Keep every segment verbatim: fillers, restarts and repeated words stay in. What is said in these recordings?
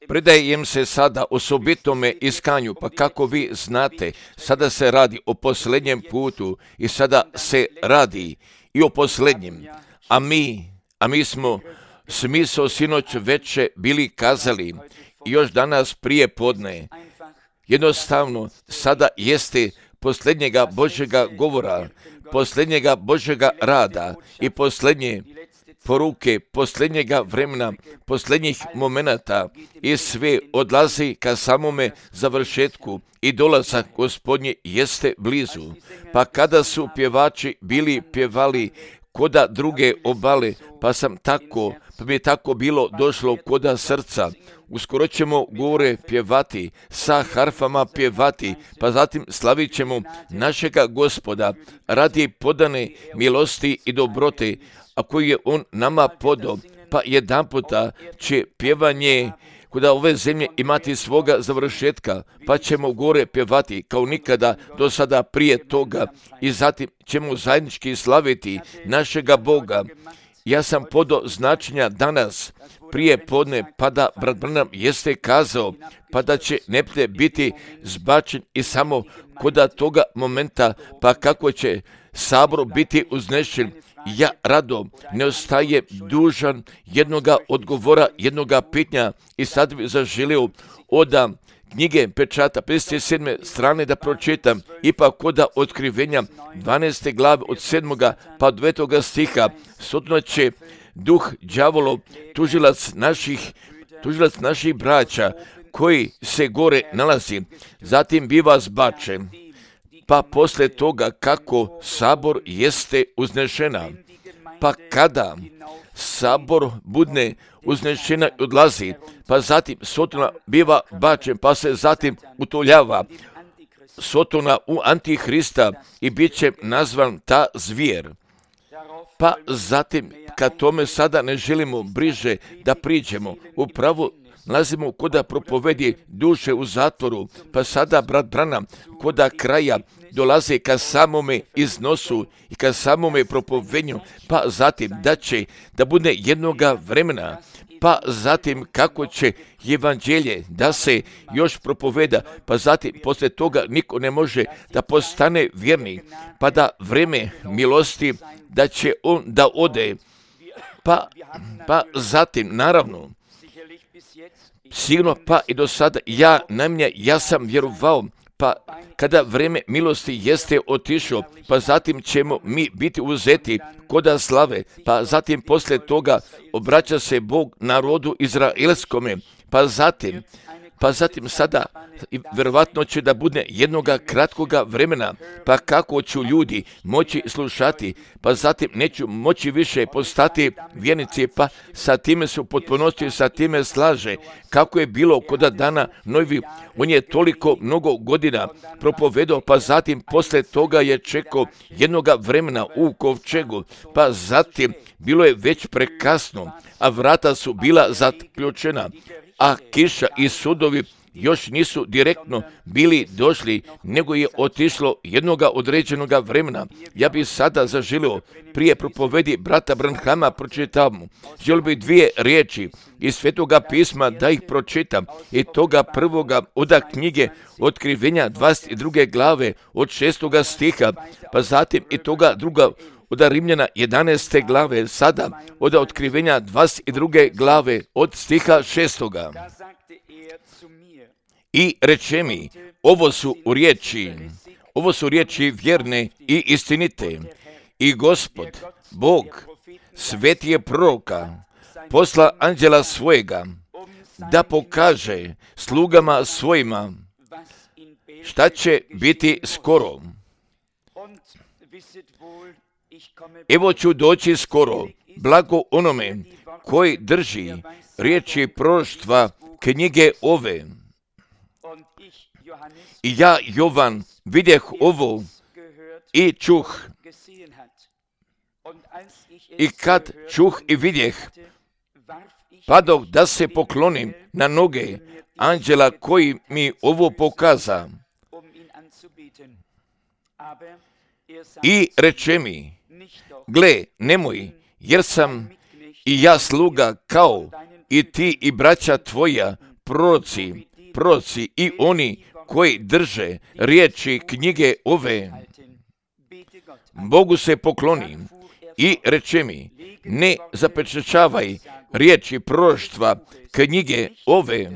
Predajem se sada osobitome iskanju, pa kako vi znate, sada se radi o posljednjem putu i sada se radi i o posljednjem. A mi, a mi smo smisao sinoć veče bili kazali i još danas prije podne. Jednostavno, sada jeste posljednjega Božjega govora, posljednjega Božjega rada i posljednje poruke, posljednjega vremena, posljednjih momenata i sve odlazi ka samome završetku i dolazak Gospodnje jeste blizu. Pa kada su pjevači bili pjevali koda druge obale, pa sam tako, pa mi je tako bilo došlo koda srca. Uskoro ćemo gore pjevati, sa harfama pjevati, pa zatim slavit ćemo našega Gospoda radi podane milosti i dobrote, a koji je On nama podao, pa jedan puta će pjevanje kuda ove zemlje imati svoga završetka, pa ćemo gore pjevati kao nikada do sada prije toga i zatim ćemo zajednički slaviti našega Boga. Ja sam podao značenja danas, prije podne, pa da brat Branham jeste kazao, pa da će neprijatelj biti zbačen i samo koda toga momenta, pa kako će sabor biti uznešen. Ja rado ne ostaje dužan jednoga odgovora, jednoga pitanja i sad bi zaželio oda knjige pečata pedeset sedme strane da pročitam, ipak koda otkrivenja dvanaeste glave od sedmoga pa devetoga stiha, sotno će duh đavolov, tužilac naših, tužilac naših braća koji se gore nalazi, zatim biva zbačen. Pa posle toga kako sabor jeste uznešena, pa kada sabor budne uznešena i odlazi, pa zatim Sotona biva bačen, pa se zatim utoljava Sotona u Antihrista i bit će nazvan ta zvijer. Pa zatim, kad tome sada ne želimo bliže da priđemo, upravo nalazimo koda propovedi duše u zatvoru, pa sada brat Branham koda kraja dolaze ka samome iznosu i ka samome propovednju, pa zatim da će da bude jednoga vremena, pa zatim kako će evanđelje da se još propoveda, pa zatim posle toga niko ne može da postane vjernik, pa da vreme milosti da će on da ode, pa, pa zatim naravno sigurno pa i do sada ja najmanje ja sam vjerovao, pa kada vreme milosti jeste otišlo, pa zatim ćemo mi biti uzeti koda slave, pa zatim posle toga obraća se Bog narodu izraelskome, pa zatim, pa zatim sada vjerovatno će da bude jednoga kratkoga vremena, pa kako ću ljudi moći slušati, pa zatim neću moći više postati vjernici, pa sa time su potpunosti, sa time slaže, kako je bilo koda dana Novi, on je toliko mnogo godina propovedao, pa zatim posle toga je čekao jednoga vremena u kovčegu, pa zatim bilo je već prekasno, a vrata su bila zaključena, a kiša i sudovi još nisu direktno bili došli, nego je otišlo jednoga određenoga vremena. Ja bih sada zaželio prije propovedi brata Branhama pročitam. Želio bih dvije riječi iz Svetoga pisma da ih pročitam i toga prvoga oda knjige Otkrivenja dvadeset druge glave od šestoga stiha, pa zatim i toga druga od Rimljana jedanaeste glave, sada od Otkrivenja dvadeset druge glave od stiha šestoga. I reče mi, ovo su riječi, ovo su riječi vjerne i istinite. I Gospod, Bog, sveti je proroka, posla anđela svojega, da pokaže slugama svojima šta će biti skoro. Evo ću doći skoro, blago onome koji drži riječi proroštva knjige ove. I ja, Jovan, vidjeh ovo i čuh. I kad čuh i vidjeh, padoh da se poklonim na noge anđela koji mi ovo pokaza. I reče mi, gle, nemoj, jer sam i ja sluga kao i ti i braća tvoja, proroci, proroci i oni koji drže riječi knjige ove. Bogu se pokloni i reče mi, ne zapečaćavaj riječi proroštva knjige ove,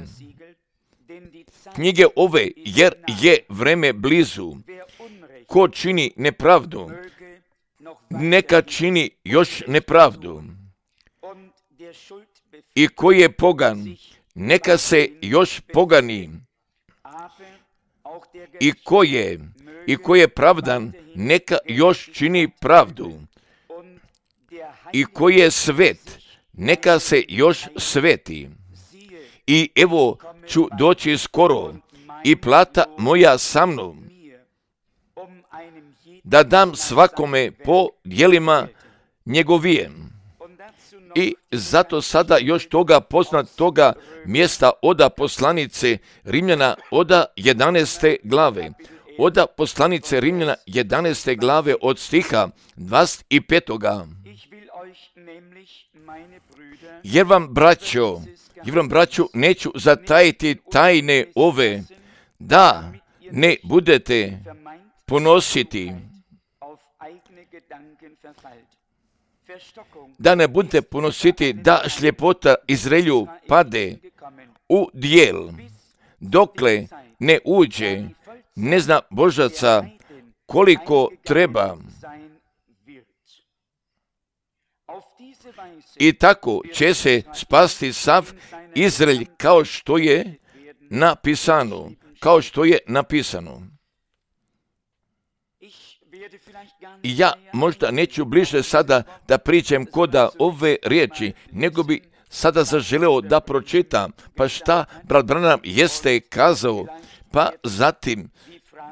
knjige ove, jer je vreme blizu. Ko čini nepravdu, neka čini još nepravdu. I ko je pogan, neka se još pogani. I ko je, i ko je pravdan, neka još čini pravdu. I ko je svet, neka se još sveti. I evo ću doći skoro, i plata moja sa mnom, da dam svakome po djelima njegovijem. I zato sada još toga poznat toga mjesta oda poslanice Rimljana oda jedanaeste glave. Oda poslanice Rimljana jedanaeste glave od stiha dvadeset petoga. Jer vam, braćo, jer vam, braćo, neću zatajiti tajne ove, da ne budete ponositi, da ne budete ponositi da šljepota Izraelju pade u dijel, dokle ne uđe, ne zna Božaca koliko treba. I tako će se spasti sav Izraelj, kao što je napisano, kao što je napisano. I ja možda neću bliže sada da pričam koda ove riječi, nego bi sada zaželeo da pročitam, pa šta brat Branham jeste kazao, pa zatim,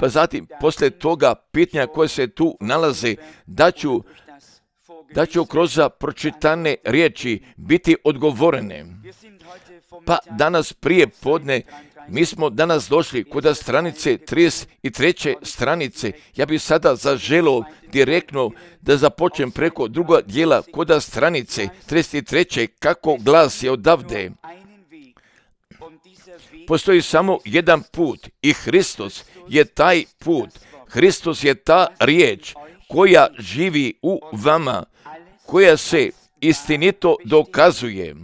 pa zatim posle toga pitanja koje se tu nalaze, da ću, da ću kroz pročitane riječi biti odgovorene. Pa danas prije podne, mi smo danas došli kod stranice trideset treće stranice. Ja bih sada zaželio direktno da započnem preko druga dijela kod stranice trideset treće kako glasi odavde. Postoji samo jedan put i Hristos je taj put. Hristos je ta riječ koja živi u vama, koja se istinito dokazuje.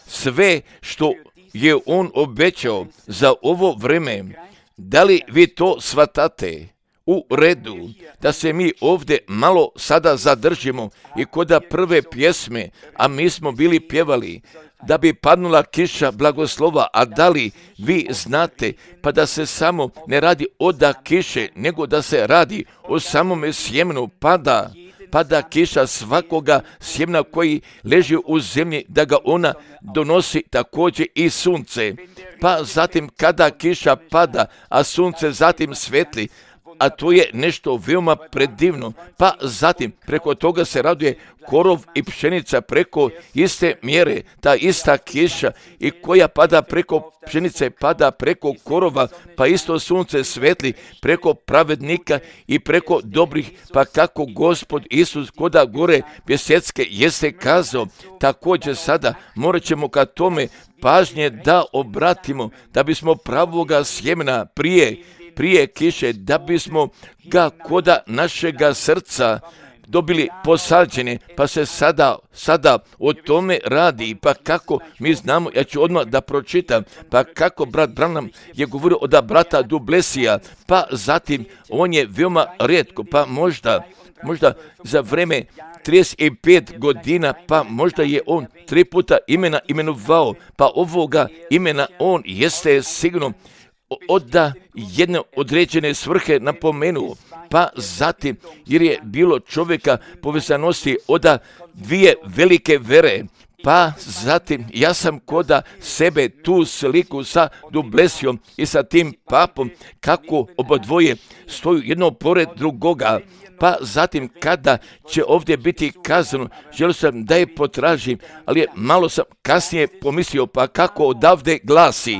Sve što je on obećao za ovo vreme, da li vi to shvatate? U redu, da se mi ovdje malo sada zadržimo i koda prve pjesme, a mi smo bili pjevali, da bi padnula kiša blagoslova, a da li vi znate, pa da se samo ne radi oda kiše, nego da se radi o samome sjemenu, pada, pada kiša svakoga sjemna koji leži u zemlji, da ga ona donosi također i sunce. Pa zatim kada kiša pada, a sunce zatim svetli, a to je nešto veoma predivno, pa zatim preko toga se raduje korov i pšenica preko iste mjere, ta ista kiša i koja pada preko pšenice, pada preko korova, pa isto sunce svetli preko pravednika i preko dobrih, pa kako Gospod Isus koda gore Bjesecke jeste kazao, također sada morat ćemo ka tome pažnje da obratimo, da bismo pravoga sjemena prije prije kiše, da bismo ga koda našega srca dobili posađene, pa se sada, sada o tome radi, pa kako mi znamo, ja ću odmah da pročitam, pa kako brat Branham je govorio od brata Dublesija, pa zatim on je veoma rijetko, pa možda, možda za vreme trideset pet godina, pa možda je on tri puta imena imenovao, pa ovoga imena on jeste sigurno oda jedne određene svrhe napomenuo, pa zatim jer je bilo čovjeka povezanosti oda dvije velike vere, pa zatim ja sam koda sebe tu sliku sa Dublesijom i sa tim papom kako obadvoje stoju jedno pored drugoga, pa zatim kada će ovdje biti kazano, želio sam da je potražim, ali je malo sam kasnije pomislio, pa kako odavde glasi.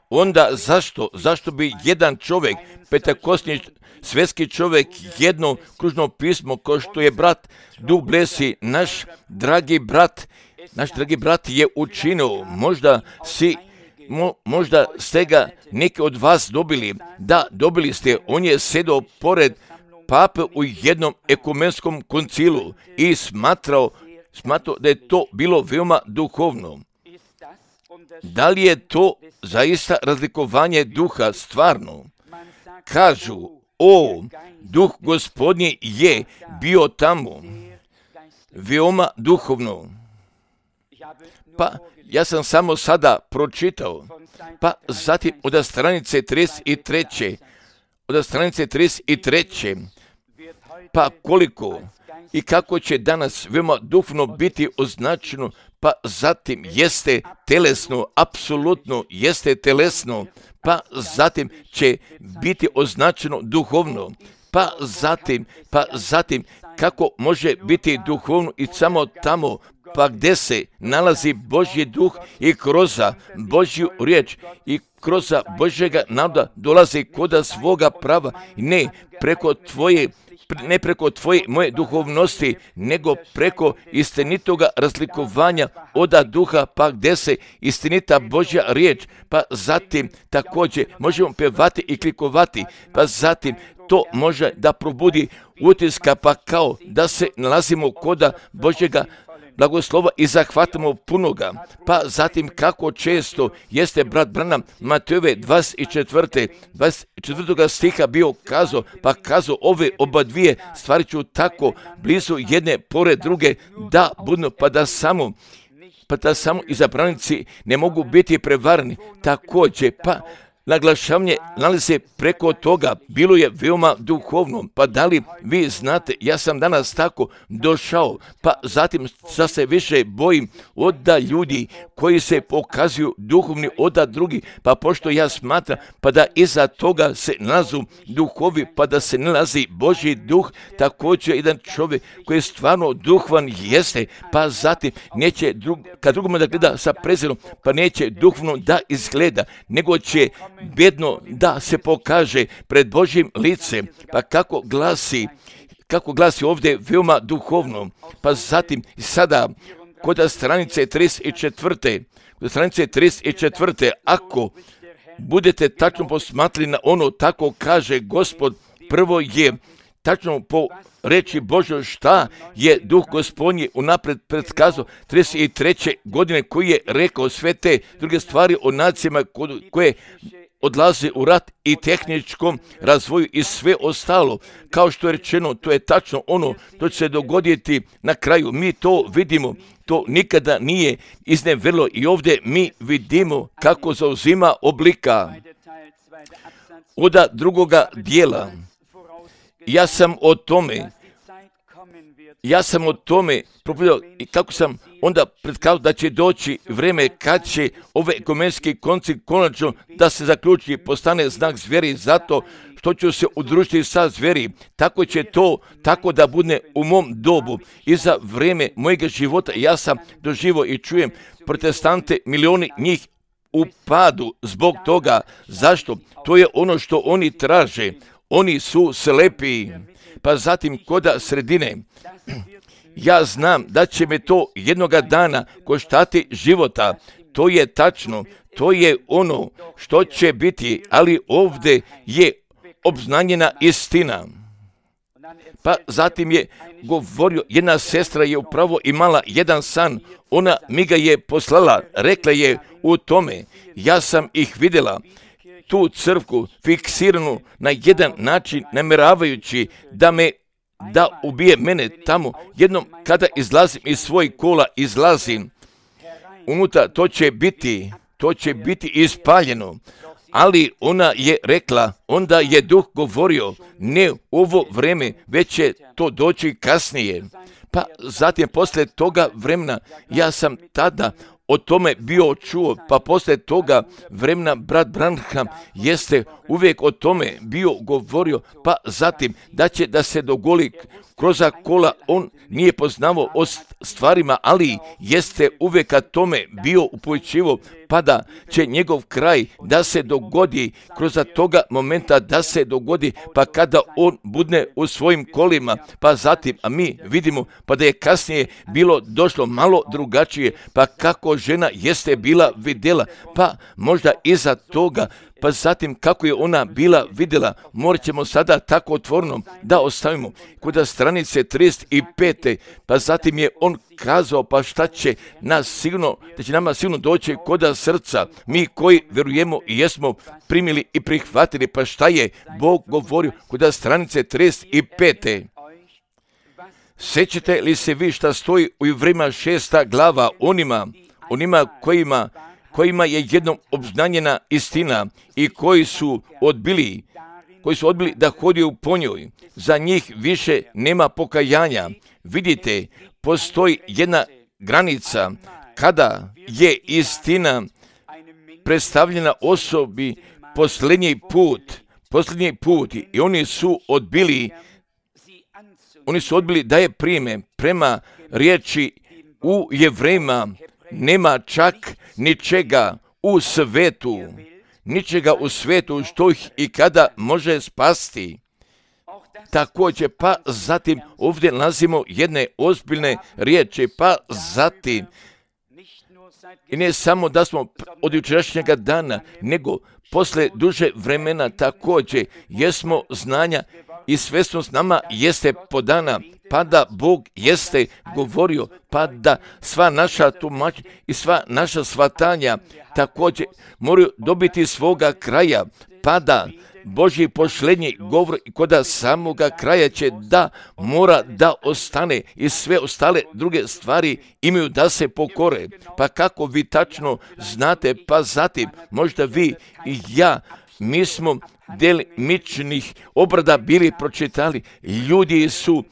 onda zašto? Zašto bi jedan čovjek, petakosni svjetski čovjek, jedno kružno pismo, ko što je brat Duh Blesi, naš dragi brat, naš dragi brat je učinio, možda si, mo, možda ste ga neki od vas dobili, da, dobili ste, on je sedao pored pape u jednom ekumenskom koncilu i smatrao, smatrao da je to bilo veoma duhovno. Da li je to zaista razlikovanje duha stvarno? Kažu, o, duh Gospodnji je bio tamo, veoma duhovno. Pa, ja sam samo sada pročitao, pa zatim od stranice trideset treće, od stranice trideset treće, pa koliko i kako će danas veoma duhovno biti označeno, pa zatim jeste telesno, apsolutno jeste telesno, pa zatim će biti označeno duhovno, pa zatim, pa zatim kako može biti duhovno i samo tamo, pa gdje se nalazi Božji duh i kroz Božju riječ i kroz Božjega naroda dolazi koda svoga prava, ne preko tvoje ne preko tvoje moje duhovnosti, nego preko istinitoga razlikovanja oda duha, pa gdje se istinita Božja riječ, pa zatim također možemo pjevati i klikovati, pa zatim to može da probudi utiska, pa kao da se nalazimo koda Božjega blagoslova i zahvatamo punoga. Pa zatim kako često jeste brat Branham Matejove dvadeset četvrte dvadeset četvrtoga stiha bio kazao, pa kazao ove oba dvije stvari ću tako blizu jedne pored druge da budu, pa da samo pa da samo izabranici ne mogu biti prevarni. Također, pa naglašavanje nalazi se preko toga, bilo je veoma duhovno, pa da li vi znate, ja sam danas tako došao, pa zatim sa se više bojim oda ljudi koji se pokazuju duhovni oda drugi, pa pošto ja smatram, pa da iza toga se nalazu duhovi, pa da se nalazi Božji duh, također jedan čovjek koji je stvarno duhovan jeste, pa zatim neće drug, kad drugome da gleda sa prezirom, pa neće duhovno da izgleda, nego će bedno da se pokaže pred Božjim licem, pa kako glasi, kako glasi ovdje veoma duhovno, pa zatim sada kod stranice trideset četvrte, kod stranice trideset četvrte, ako budete tačno posmatrali na ono, tako kaže Gospod, prvo je tačno po reći Božoj šta je duh Gospodnji unapred predskazao trideset treće godine, koji je rekao sve te druge stvari o nacijama koje odlaze u rat i tehničkom razvoju i sve ostalo. Kao što je rečeno, to je tačno ono, to će se dogoditi na kraju. Mi to vidimo, to nikada nije izneverilo i ovdje mi vidimo kako zauzima oblika. Oda drugoga dijela, ja sam o tome, ja sam o tome propovedao i kako sam onda predkazao da će doći vrijeme kad će ove ekumenski koncil konačno da se zaključi, postane znak zveri zato što ću se udružiti sa zveri. Tako će to, tako da bude u mom dobu i za vrijeme mojega života. Ja sam doživio i čujem protestante, milioni njih u padu zbog toga. Zašto? To je ono što oni traže. Oni su slepi. Pa zatim koda sredine, ja znam da će me to jednoga dana koštati života. To je tačno, to je ono što će biti, ali ovdje je obznanjena istina. Pa zatim je govorio, jedna sestra je upravo imala jedan san, ona mi ga je poslala, rekla je u tome, ja sam ih vidjela, tu crkvu fiksiranu na jedan način, namjeravajući da me da ubije mene tamo. Jednom kada izlazim iz svojih kola, izlazim unutra, to će biti, to će biti ispaljeno. Ali ona je rekla, onda je duh govorio, ne u ovo vrijeme, već će to doći kasnije. Pa zatim poslije toga vremena, ja sam tada o tome bio čuo, pa poslije toga vremena brat Branham jeste uvijek o tome bio govorio, pa zatim da će da se dogodi kroz kola, on nije poznavao o stvarima, ali jeste uvijek kad tome bio upojičivo, pa da će njegov kraj da se dogodi kroz toga momenta da se dogodi, pa kada on budne u svojim kolima, pa zatim, a mi vidimo pa da je kasnije bilo došlo malo drugačije, pa kako žena jeste bila vidjela, pa možda iza toga, pa zatim kako je ona bila vidjela, morat ćemo sada tako otvoreno da ostavimo kod stranice trideset pet. Pa zatim je on kazao, pa šta će nas sigurno, da će nama sigurno doći kod srca, mi koji vjerujemo i jesmo primili i prihvatili, pa šta je Bog govorio kod stranice trideset pet. Sjećate li se vi šta stoji u Jevrejima šesta glava onima, onima kojima kojima je jednom obznanjena istina i koji su odbili, koji su odbili da hodiju po njoj, za njih više nema pokajanja. Vidite, postoji jedna granica kada je istina predstavljena osobi posljednji put, posljednji put i oni su odbili, oni su odbili da je prime prema riječi u Jevrejima. Nema čak ničega u svetu, ničega u svetu što ih i kada može spasti. Također, pa zatim ovdje nalazimo jedne ozbiljne riječi, pa zatim, i ne samo da smo od jučerašnjega dana, nego posle duže vremena također jesmo znanja i svjesnost nama jeste podana, pa da Bog jeste govorio, pa da sva naša tumačenja i sva naša shvatanja također moraju dobiti svoga kraja, pa da Božji pošlednji govor kod samoga kraja će da mora da ostane i sve ostale druge stvari imaju da se pokore. Pa kako vi tačno znate, pa zatim možda vi i ja, mi smo delimičnih obrada bili pročitali, ljudi su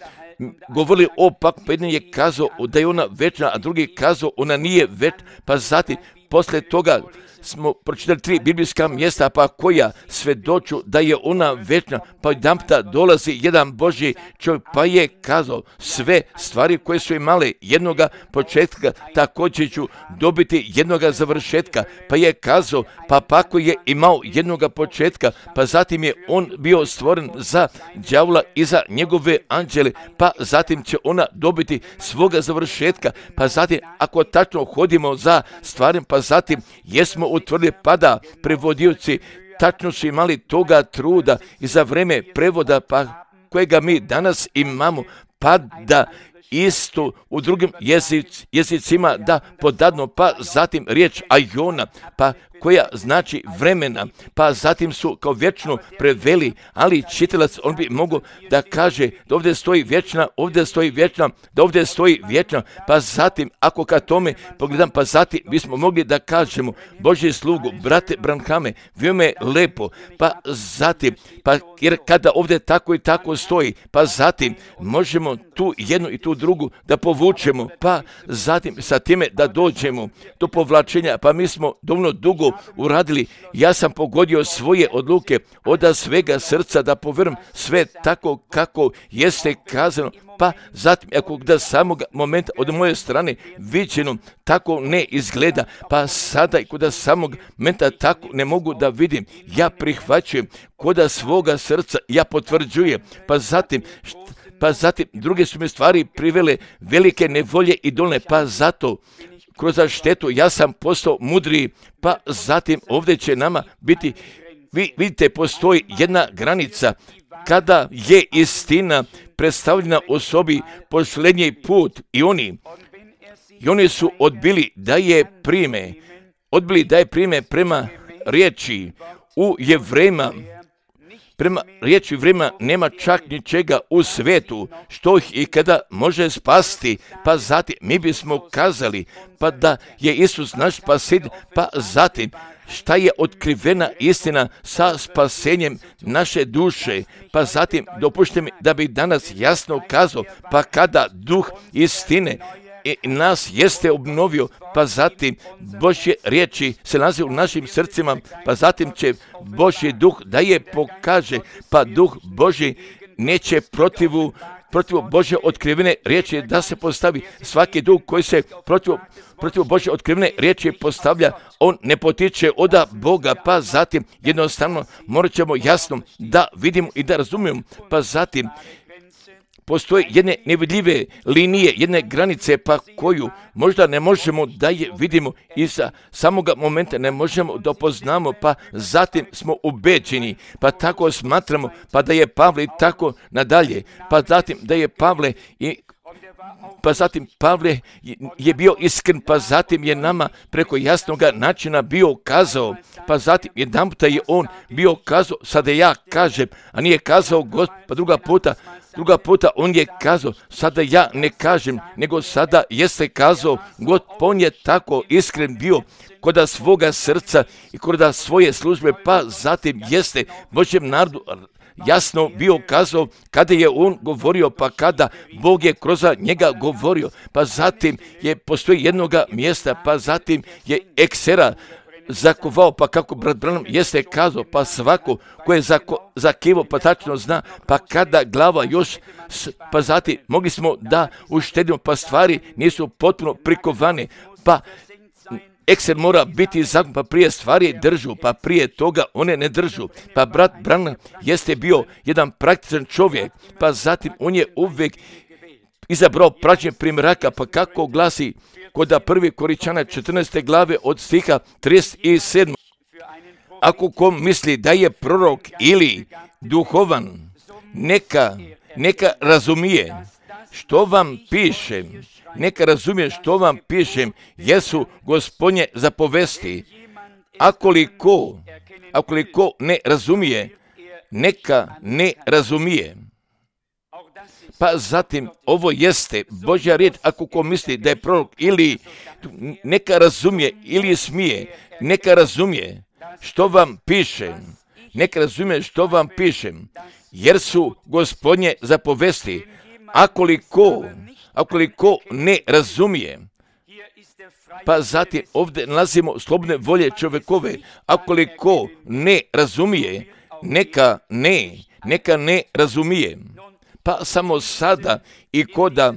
govorili o pak, pa jedan je kazao da je ona večna, a drugi kazao ona nije večna, pa zatim poslije toga smo pročitali tri biblijska mjesta, pa koja svjedoču da je ona večna, pa jedanputa dolazi jedan Božji čovjek, pa je kazao sve stvari koje su imale jednoga početka, također ću dobiti jednoga završetka, pa je kazao, pa ako je imao jednoga početka, pa zatim je on bio stvoren za đavola i za njegove anđele, pa zatim će ona dobiti svoga završetka, pa zatim ako tačno hodimo za stvarem, pa zatim jesmo utvrdili, pa da prevodioci tačno su imali toga truda i za vreme prevoda, pa kojega mi danas imamo, pa da isto u drugim jezic, jezicima da podadno, pa zatim riječ ajona, pa koja znači vremena, pa zatim su kao vječno preveli, ali čitalac on bi mogao da kaže da ovdje stoji vječna, ovdje stoji vječna, da ovdje stoji vječna, pa zatim ako ka tome pogledam, pa zatim bismo mogli da kažemo Božji slugu, brate Branhame, veoma je lepo, pa zatim, pa jer kada ovdje tako i tako stoji, pa zatim možemo tu jednu i tu drugu da povučemo, pa zatim sa time da dođemo do povlačenja, pa mi smo dovoljno dugo uradili, ja sam pogodio svoje odluke od svega srca da povjerujem sve tako kako jeste kazano, pa zatim ako da samog momenta od moje strane viđeno tako ne izgleda, pa sada i kod samog momenta tako ne mogu da vidim, ja prihvaćujem kod svoga srca, ja potvrđujem, pa zatim pa zatim druge su mi stvari privele velike nevolje i dolne, pa zato kroz štetu ja sam postao mudriji, pa zatim ovdje će nama biti, vi vidite, postoji jedna granica kada je istina predstavljena osobi posljednji put i oni, i oni su odbili da je prime, odbili da je prime prema riječi u Jevrejima. Prema riječi vremena nema čak ničega u svetu što ih i kada može spasti, pa zatim mi bismo kazali pa da je Isus naš spasitelj, pa zatim šta je otkrivena istina sa spasenjem naše duše, pa zatim dopušte mi da bih danas jasno kazao, pa kada duh istine i nas jeste obnovio, pa zatim Božje riječi se nalaze u našim srcima, pa zatim će Božji duh da je pokaže, pa duh Božji neće protivu protiv Božje otkrivene riječi da se postavi. Svaki duh koji se protiv, protiv Božje otkrivene riječi postavlja, on ne potiče od Boga, pa zatim jednostavno morat ćemo jasno da vidimo i da razumijemo, pa zatim postoje jedne nevidljive linije, jedne granice, pa koju možda ne možemo da je vidimo i sa samoga momenta ne možemo da poznamo, pa zatim smo ubeđeni, pa tako smatramo, pa da je Pavle tako nadalje, pa zatim da je Pavle i pa zatim Pavle je bio iskren, pa zatim je nama preko jasnog načina bio kazao, pa zatim jedan puta je on bio kazao, sada ja kažem, a nije kazao Gospod, pa druga puta, druga puta on je kazao, sada ja ne kažem, nego sada jeste kazao Gospod, pa on je tako iskren bio kod svoga srca i kod svoje službe, pa zatim jeste Božjem narodu jasno bio kazao kada je on govorio, pa kada Bog je kroz njega govorio, pa zatim je postoji jednoga mjesta, pa zatim je eksera zakovao, pa kako brat Branham jeste kazao, pa svako ko je zako, zakivo, pa tačno zna, pa kada glava još, pa zatim mogli smo da uštedimo, pa stvari nisu potpuno prikovane, pa ekser mora biti zakon, pa prije stvari držu, pa prije toga one ne držu. Pa brat Branham jeste bio jedan praktičan čovjek, pa zatim on je uvijek izabrao praćenje primjeraka, pa kako glasi kod prvi Koričana četrnaeste glave od stiha trideset sedam. Ako ko misli da je prorok ili duhovan, neka, neka razumije što vam pišem, neka razumije što vam pišem, jesu Gospodnje zapovesti. Akoliko, akoliko ne razumije, neka ne razumije. Pa zatim, ovo jeste Božja riječ, ako ko misli da je prorok ili neka razumije ili smije, neka razumije što vam pišem, neka razumije što vam pišem, jer su Gospodnje zapovesti. Akoliko, akoliko ne razumije, pa zatim ovdje nalazimo slobodne volje čovjekove, akoliko ne razumije, neka ne, neka ne razumije. Pa samo sada i koda,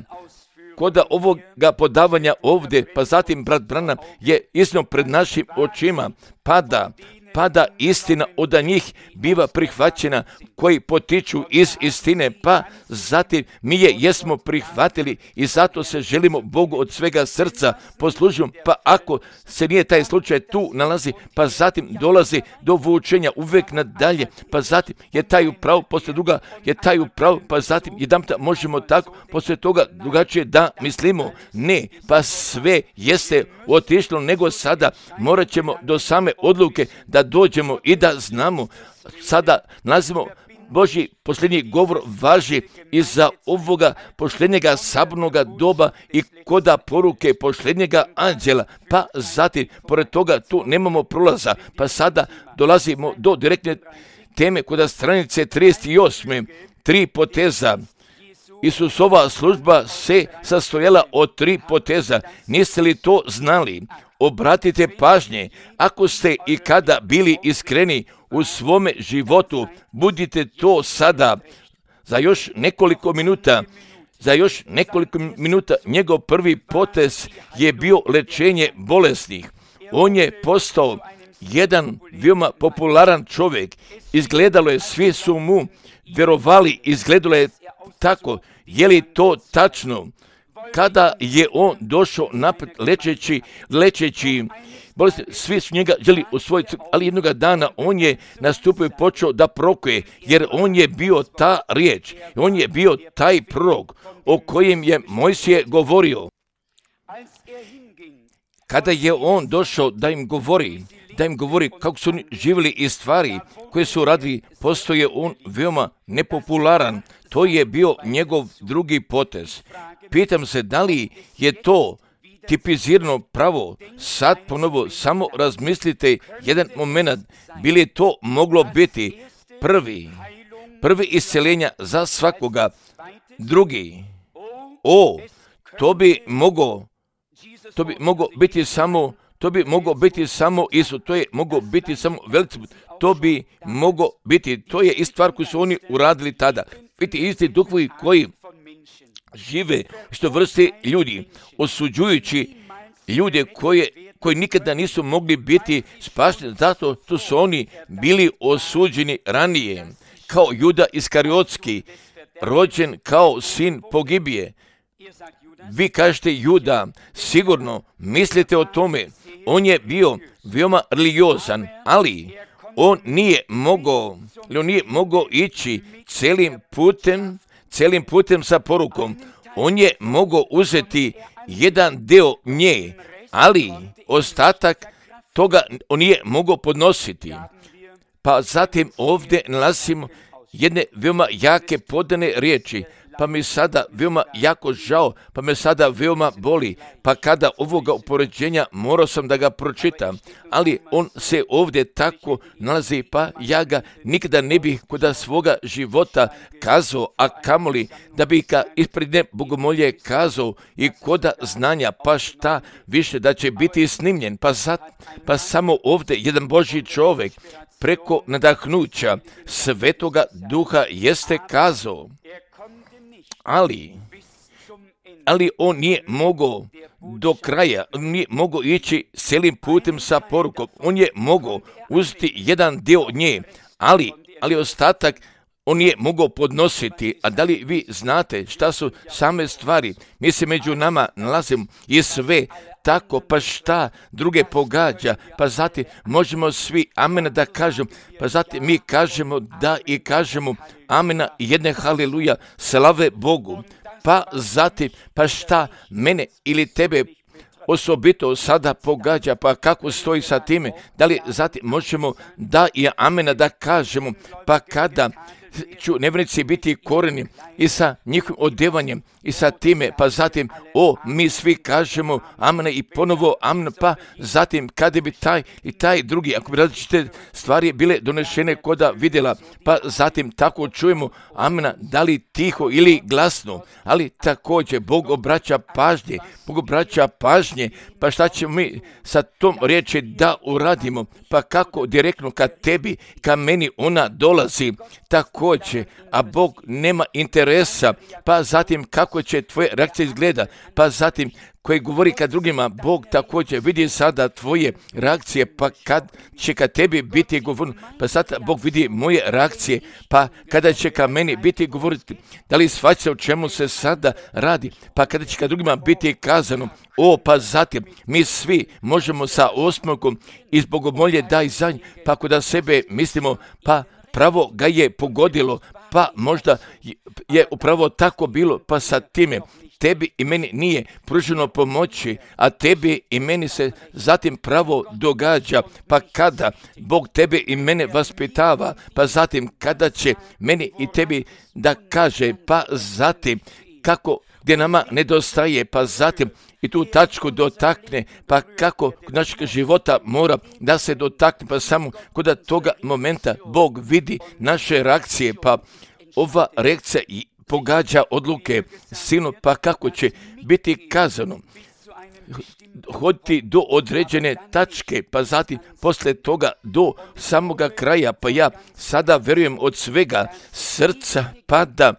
koda ovoga podavanja ovdje, pa zatim brat Branham je iznio pred našim očima, pada, pada istina od njih biva prihvaćena koji potiču iz istine, pa zatim mi je jesmo prihvatili i zato se želimo Bogu od svega srca poslužiti, pa ako se nije taj slučaj tu nalazi, pa zatim dolazi do vučenja uvijek nadalje, pa zatim je taj upravo, poslije druga je taj upravo, pa zatim jedanputa možemo tako, poslije toga drugačije da mislimo, ne, pa sve jeste otišlo, nego sada morat ćemo do same odluke da dođemo i da znamo, sada nalazimo Božji posljednji govor važi i za ovoga posljednjega sabornoga doba i koda poruke posljednjega anđela, pa zatim, pored toga tu nemamo prolaza, pa sada dolazimo do direktne teme koda stranice trideset osam. Tri poteza. Isusova služba se sastojala od tri poteza. Niste li to znali? Obratite pažnje, ako ste i kada bili iskreni u svome životu, budite to sada. Za još nekoliko minuta, za još nekoliko minuta njegov prvi potez je bio lečenje bolesnih. On je postao jedan veoma popularan čovjek. Izgledalo je, svi su mu vjerovali, izgledalo je tako. Je li to tačno? Kada je on došao napred lečeći, lečeći bolesti, svi su njega želi usvojiti, ali jednoga dana on je nastupio i počeo da prokuje, jer on je bio ta riječ, on je bio taj prorok o kojem je Mojsije govorio. Kada je on došao da im govori, da im govori kako su oni živjeli i stvari koje su radili, postoje on veoma nepopularan. To je bio njegov drugi potez. Pitam se da li je to tipizirano pravo. Sad ponovo samo razmislite jedan moment. Bi li to moglo biti prvi, prvi isceljenja za svakoga? Drugi. O, to bi moglo, to bi moglo biti samo, to bi moglo biti samo Isus, to je moglo biti samo veliki, to bi moglo biti, to je i stvar koju su oni uradili tada. Vidite, isti duhovi koji žive što vrste ljudi, osuđujući ljude koje, koji nikada nisu mogli biti spašeni, zato što su oni bili osuđeni ranije, kao Juda Iskariotski, rođen kao sin pogibije. Vi kažete Juda, sigurno mislite o tome, on je bio veoma religiozan, ali on nije mogao, on nije mogao ići celim putem, celim putem sa porukom. On je mogao uzeti jedan deo nje, ali ostatak toga on nije mogao podnositi. Pa zatim ovdje nalazimo jedne veoma jake podane riječi, pa mi sada veoma jako žao, pa me sada veoma boli, pa kada ovoga upoređenja morao sam da ga pročitam, ali on se ovdje tako nalazi, pa ja ga nikada ne bih kod svoga života kazao, a kamoli da bih ga ispred ne bogomolje kazao i koda znanja, pa šta više da će biti snimljen, pa, zat, pa samo ovdje jedan Božji čovjek preko nadahnuća Svetoga Duha jeste kazao, ali, ali on nije mogao do kraja, on nije mogao ići celim putem sa porukom, on je mogao uzeti jedan dio nje, ali, ali ostatak on nije mogao podnositi. A da li vi znate šta su same stvari? Mi se među nama nalazimo i sve tako, pa šta druge pogađa, pa zatim možemo svi amena da kažemo, pa zatim mi kažemo da i kažemo amena i jedne haleluja, slave Bogu, pa zatim, pa šta mene ili tebe osobito sada pogađa, pa kako stoji sa time, da li zatim možemo da i amena da kažemo, pa kada ću nevjernici biti koreni i sa njihovim odjevanjem i sa time, pa zatim, o, mi svi kažemo amena i ponovo amena, pa zatim kada bi taj i taj drugi, ako bi različite stvari bile donešene koda vidjela, pa zatim tako čujemo amena, da li tiho ili glasno, ali također Bog obraća pažnje, Bog obraća pažnje, pa šta ćemo mi sa tom riječi da uradimo, pa kako direktno ka tebi, ka meni ona dolazi, također, a Bog nema interesa, pa zatim kako će tvoje reakcije izgleda, pa zatim koji govori kad drugima, Bog također vidi sada tvoje reakcije, pa kad će ka tebi biti govorno, pa sada Bog vidi moje reakcije, pa kada će ka meni biti govoriti, da li shvaća o čemu se sada radi, pa kada će ka drugima biti kazano, o, pa zatim mi svi možemo sa osmogom iz bogomolje daj za nj, pa ako da sebe mislimo, pa pravo ga je pogodilo, pa možda je upravo tako bilo, pa sa time tebi i meni nije pruženo pomoći, a tebi i meni se zatim pravo događa, pa kada Bog tebe i mene vaspitava, pa zatim kada će meni i tebi da kaže, pa zatim kako gdje nama nedostaje, pa zatim i tu tačku dotakne, pa kako kod našeg života mora da se dotakne, pa samo kod toga momenta Bog vidi naše reakcije, pa ova reakcija pogađa odluke sinu, pa kako će biti kazano hoditi do određene tačke, pa zatim poslije toga do samoga kraja, pa ja sada verujem od svega srca, pa da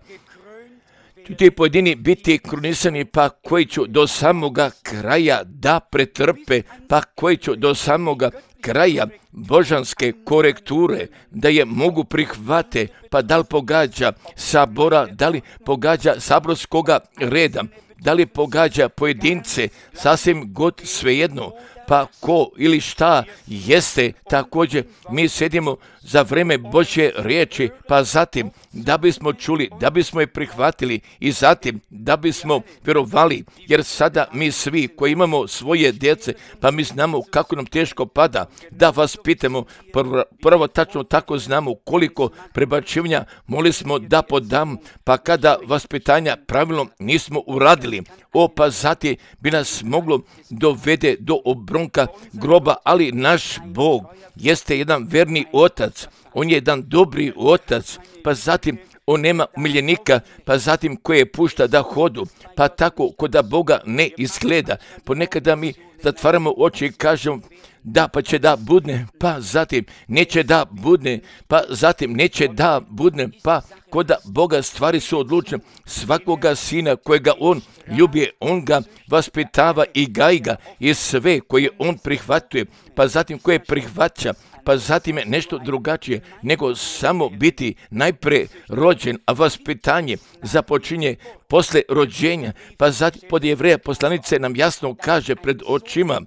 ti pojedini biti krunisani, pa koji ću do samoga kraja da pretrpe, pa koji ću do samoga kraja božanske korekture, da je mogu prihvate, pa da li pogađa sabora, da li pogađa saborskoga reda, da li pogađa pojedince, sasvim god svejedno, pa ko ili šta jeste, također mi sedimo za vreme Božje riječi, pa zatim da bismo čuli, da bismo je prihvatili i zatim da bismo vjerovali, jer sada mi svi koji imamo svoje djece, pa mi znamo kako nam teško pada, da vas pitamo, prvo, prvo tačno tako znamo koliko prebačivanja mogli smo da podam, pa kada vaspitanja pravilno nismo uradili, o, pa zatim bi nas moglo dovede do obronka groba, ali naš Bog jeste jedan verni otac, on je jedan dobri otac, pa zatim on nema miljenika, pa zatim koje pušta da hodu, pa tako ko da Boga ne izgleda. Ponekada mi zatvaramo oči i kažemo da pa će da budne, pa zatim neće da budne, pa zatim neće da budne, pa ko da Boga stvari su odlučne. Svakoga sina kojega on ljubi, on ga vaspitava i gaji ga, i sve koje on prihvatuje, pa zatim koje prihvaća, pa zatim je nešto drugačije nego samo biti najpre rođen, a vaspitanje započinje posle rođenja. Pa zatim pod Jevreja poslanice nam jasno kaže pred očima,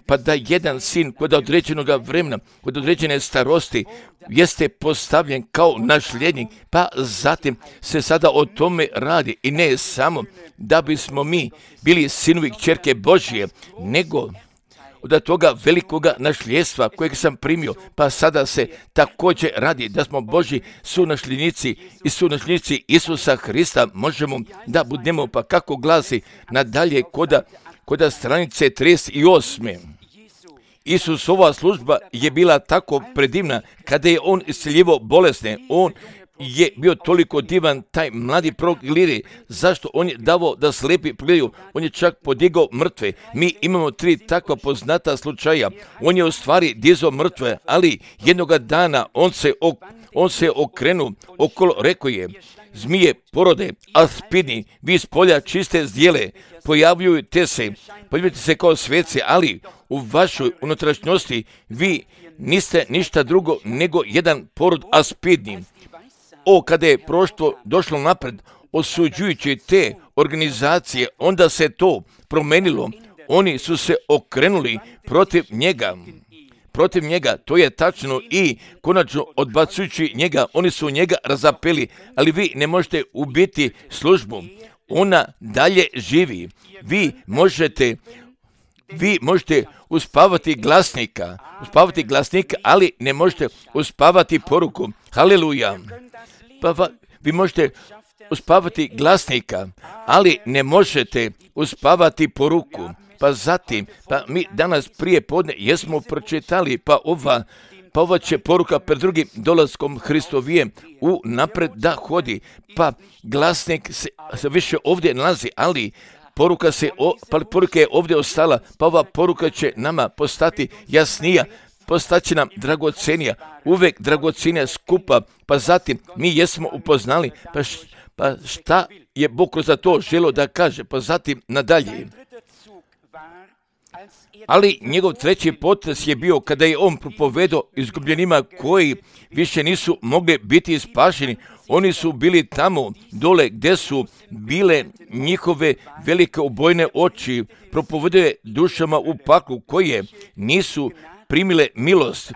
pa da jedan sin kod određenog vremena, kod određene starosti, jeste postavljen kao nasljednik, pa zatim se sada o tome radi. I ne samo da bismo mi bili sinovi i kćerke Božje, nego od toga velikoga nasljedstva kojeg sam primio, pa sada se također radi da smo Božji sunasljednici i sunasljednici Isusa Hrista, možemo da budemo, pa kako glasi nadalje koda, koda stranice trideset osam. Isusova služba je bila tako predivna kada je on isceljivao bolesne. On je bio toliko divan, taj mladi prorok Ilija. Zašto? On je davao da slepi pogledaju. On je čak podigao mrtve. Mi imamo tri takva poznata slučaja. On je u stvari dizao mrtve, ali jednoga dana on se, ok, on se okrenuo okolo, rekao je: zmije porode, aspidni, vi s polja čiste zdjele, pojavljujte se, pojavljujte se kao sveci, ali u vašoj unutrašnjosti vi niste ništa drugo nego jedan porod aspidni. O, kada je prošlo došlo napred, osuđujući te organizacije, onda se to promenilo. Oni su se okrenuli protiv njega. Protiv njega, to je tačno, i konačno odbacujući njega, oni su njega razapeli, ali vi ne možete ubiti službu. Ona dalje živi. Vi možete, vi možete uspavati glasnika, uspavati glasnika, ali ne možete uspavati poruku. Haleluja. Pa va, vi možete uspavati glasnika, ali ne možete uspavati poruku. Pa zatim, pa mi danas prije podne jesmo pročitali, pa ova, pa ova će poruka pred drugim dolaskom Hristovijem u napred da hodi. Pa glasnik se, se više ovdje nalazi, ali poruka, se, o, pa poruka je ovdje ostala, pa ova poruka će nama postati jasnija, postaće nam dragocenija, uvek dragocenija skupa. Pa zatim mi jesmo upoznali, pa, š, pa šta je Bog kroz to želio da kaže, pa zatim nadalje. Ali njegov treći potez je bio kada je on propovedao izgubljenima koji više nisu mogli biti spašeni. Oni su bili tamo dole gdje su bile njihove velike ubojne oči. Propovedao je dušama u paklu koje nisu primile milost.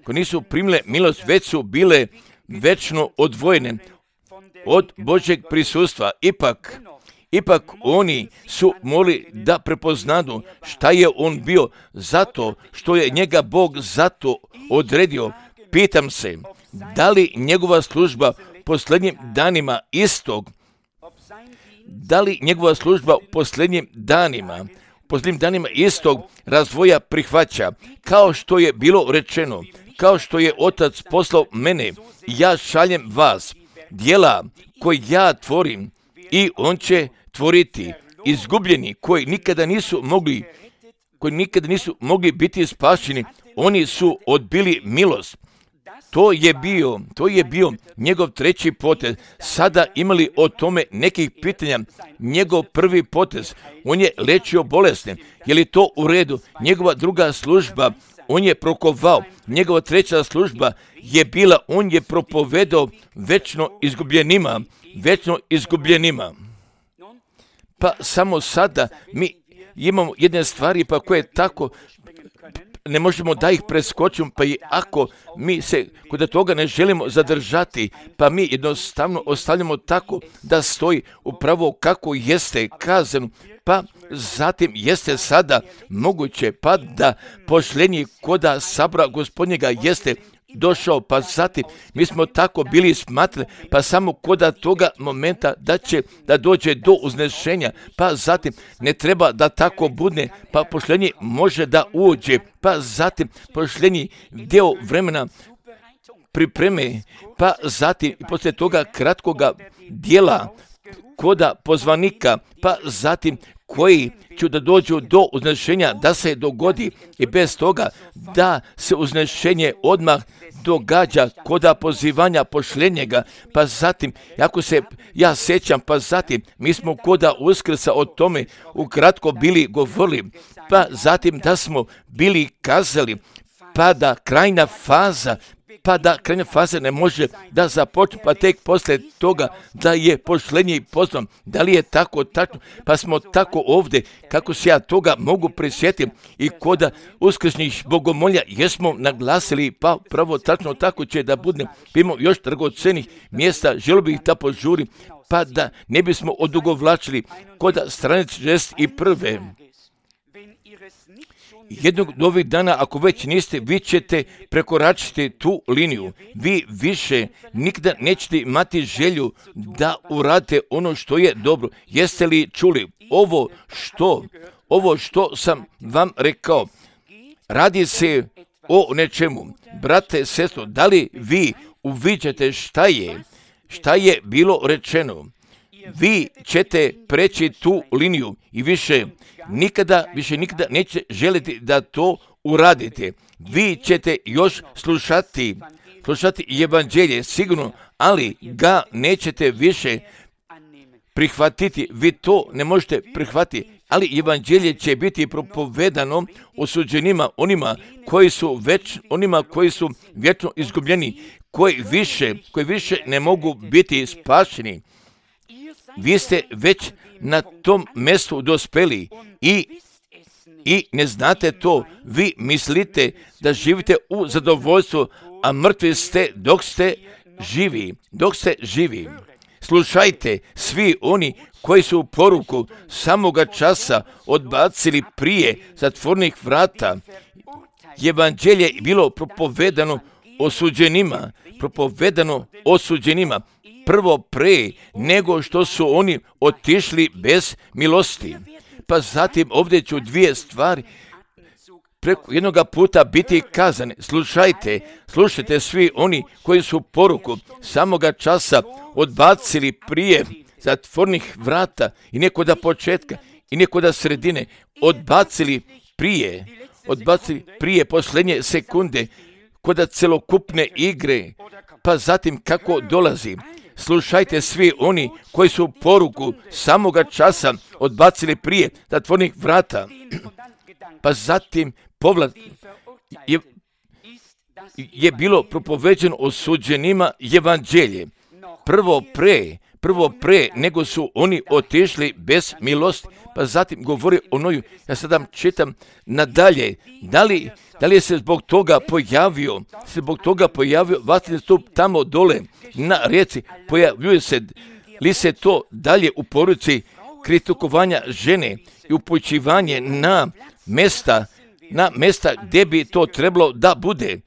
Koje nisu primile milost, već su bile večno odvojene od Božjeg prisustva. Ipak, Ipak oni su mogli da prepoznadu šta je on bio, zato što je njega Bog zato odredio. Pitam se, da li njegova služba u posljednjim danima istog, da li njegova služba u posljednjim danima, u posljednjim danima istog razvoja prihvaća, kao što je bilo rečeno, kao što je Otac poslao mene, ja šaljem vas, djela koje ja tvorim, i on će tvoriti. Izgubljeni koji nikada nisu mogli, koji nikada nisu mogli biti spašeni, oni su odbili milost. To je bio, to je bio njegov treći potez. Sada imali o tome nekih pitanja. Njegov prvi potez, on je lečio bolesne. Je li to u redu? Njegova druga služba, on je prokovao. Njegova treća služba je bila, on je propovedao večno izgubljenima, večno izgubljenima. Pa samo sada mi imamo jedne stvari pa koje tako ne možemo da ih preskočimo, pa i ako mi se kod toga ne želimo zadržati, pa mi jednostavno ostavljamo tako da stoji upravo kako jeste kazano, pa zatim jeste sada moguće pa da pošljenje koda sabora Gospodnjega jeste došao, pa zatim mi smo tako bili smatrali, pa samo koda toga momenta da će da dođe do uznešenja, pa zatim ne treba da tako budne, pa pošljenje može da uđe, pa zatim pošljenje deo vremena pripreme, pa zatim i poslije toga kratkoga dijela koda pozvanika, pa zatim koji će da dođu do uznešenja, da se dogodi i bez toga da se uznešenje odmah događa koda pozivanja pošljenjega, pa zatim, ako se ja sjećam, pa zatim, mi smo koda Uskrsa o tome ukratko bili govorili, pa zatim da smo bili kazali, pa da krajna faza, pa da krajna faza ne može da započne, pa tek poslije toga da je pošlenje i pozvan. Da li je tako tačno? Pa smo tako ovdje, kako se ja toga mogu prisjetiti i koda uskrsnih bogomolja jesmo naglasili, pa pravo tačno tako će da bude. Imamo još dragocenih mjesta, želio bih da požurim, pa da ne bismo odugovlačili koda stranice šezdeset jedan. Jednog od ovih dana, ako već niste, vi ćete prekoračiti tu liniju. Vi više nikada nećete imati želju da uradite ono što je dobro. Jeste li čuli ovo što, ovo što sam vam rekao? Radi se o nečemu. Brate, sestro, da li vi uviđate šta je, šta je bilo rečeno? Vi ćete preći tu liniju i više nikada, više nikada neće želiti da to uradite. Vi ćete još slušati, slušati evanđelje sigurno, ali ga nećete više prihvatiti. Vi to ne možete prihvatiti, ali evanđelje će biti propovedano osuđenima, onima koji su već, onima koji su vječno izgubljeni, koji više, koji više ne mogu biti spašeni. Vi ste već na tom mjestu dospeli i, i ne znate to. Vi mislite da živite u zadovoljstvu, a mrtvi ste dok ste živi. Dok ste živi. Slušajte, svi oni koji su poruku samoga časa odbacili prije zatvornih vrata. Evanđelje je bilo propovedano osuđenima, propovedano osuđenima. Prvo pre nego što su oni otišli bez milosti. Pa zatim ovdje ću dvije stvari preko jednoga puta biti kazane. Slušajte, slušajte svi oni koji su poruku samoga časa odbacili prije zatvornih vrata i nekoda početka i nekoda sredine, odbacili prije, odbacili prije posljednje sekunde koda celokupne igre, pa zatim kako dolazi. Slušajte svi oni koji su poruku samoga časa odbacili prije zatvornih vrata, pa zatim povlat je, je bilo propoveđeno osuđenima evanđelje. Prvo pre, prvo pre nego su oni otišli bez milosti, pa zatim govori o Noju. Ja sada čitam nadalje, da li, da li je se zbog toga pojavio, se zbog toga pojavio vatreni stup tamo dole na rijeci, pojavljuje se li se to dalje u poruci kritikovanja žene i upućivanje na mesta, na mesta gdje bi to trebalo da bude.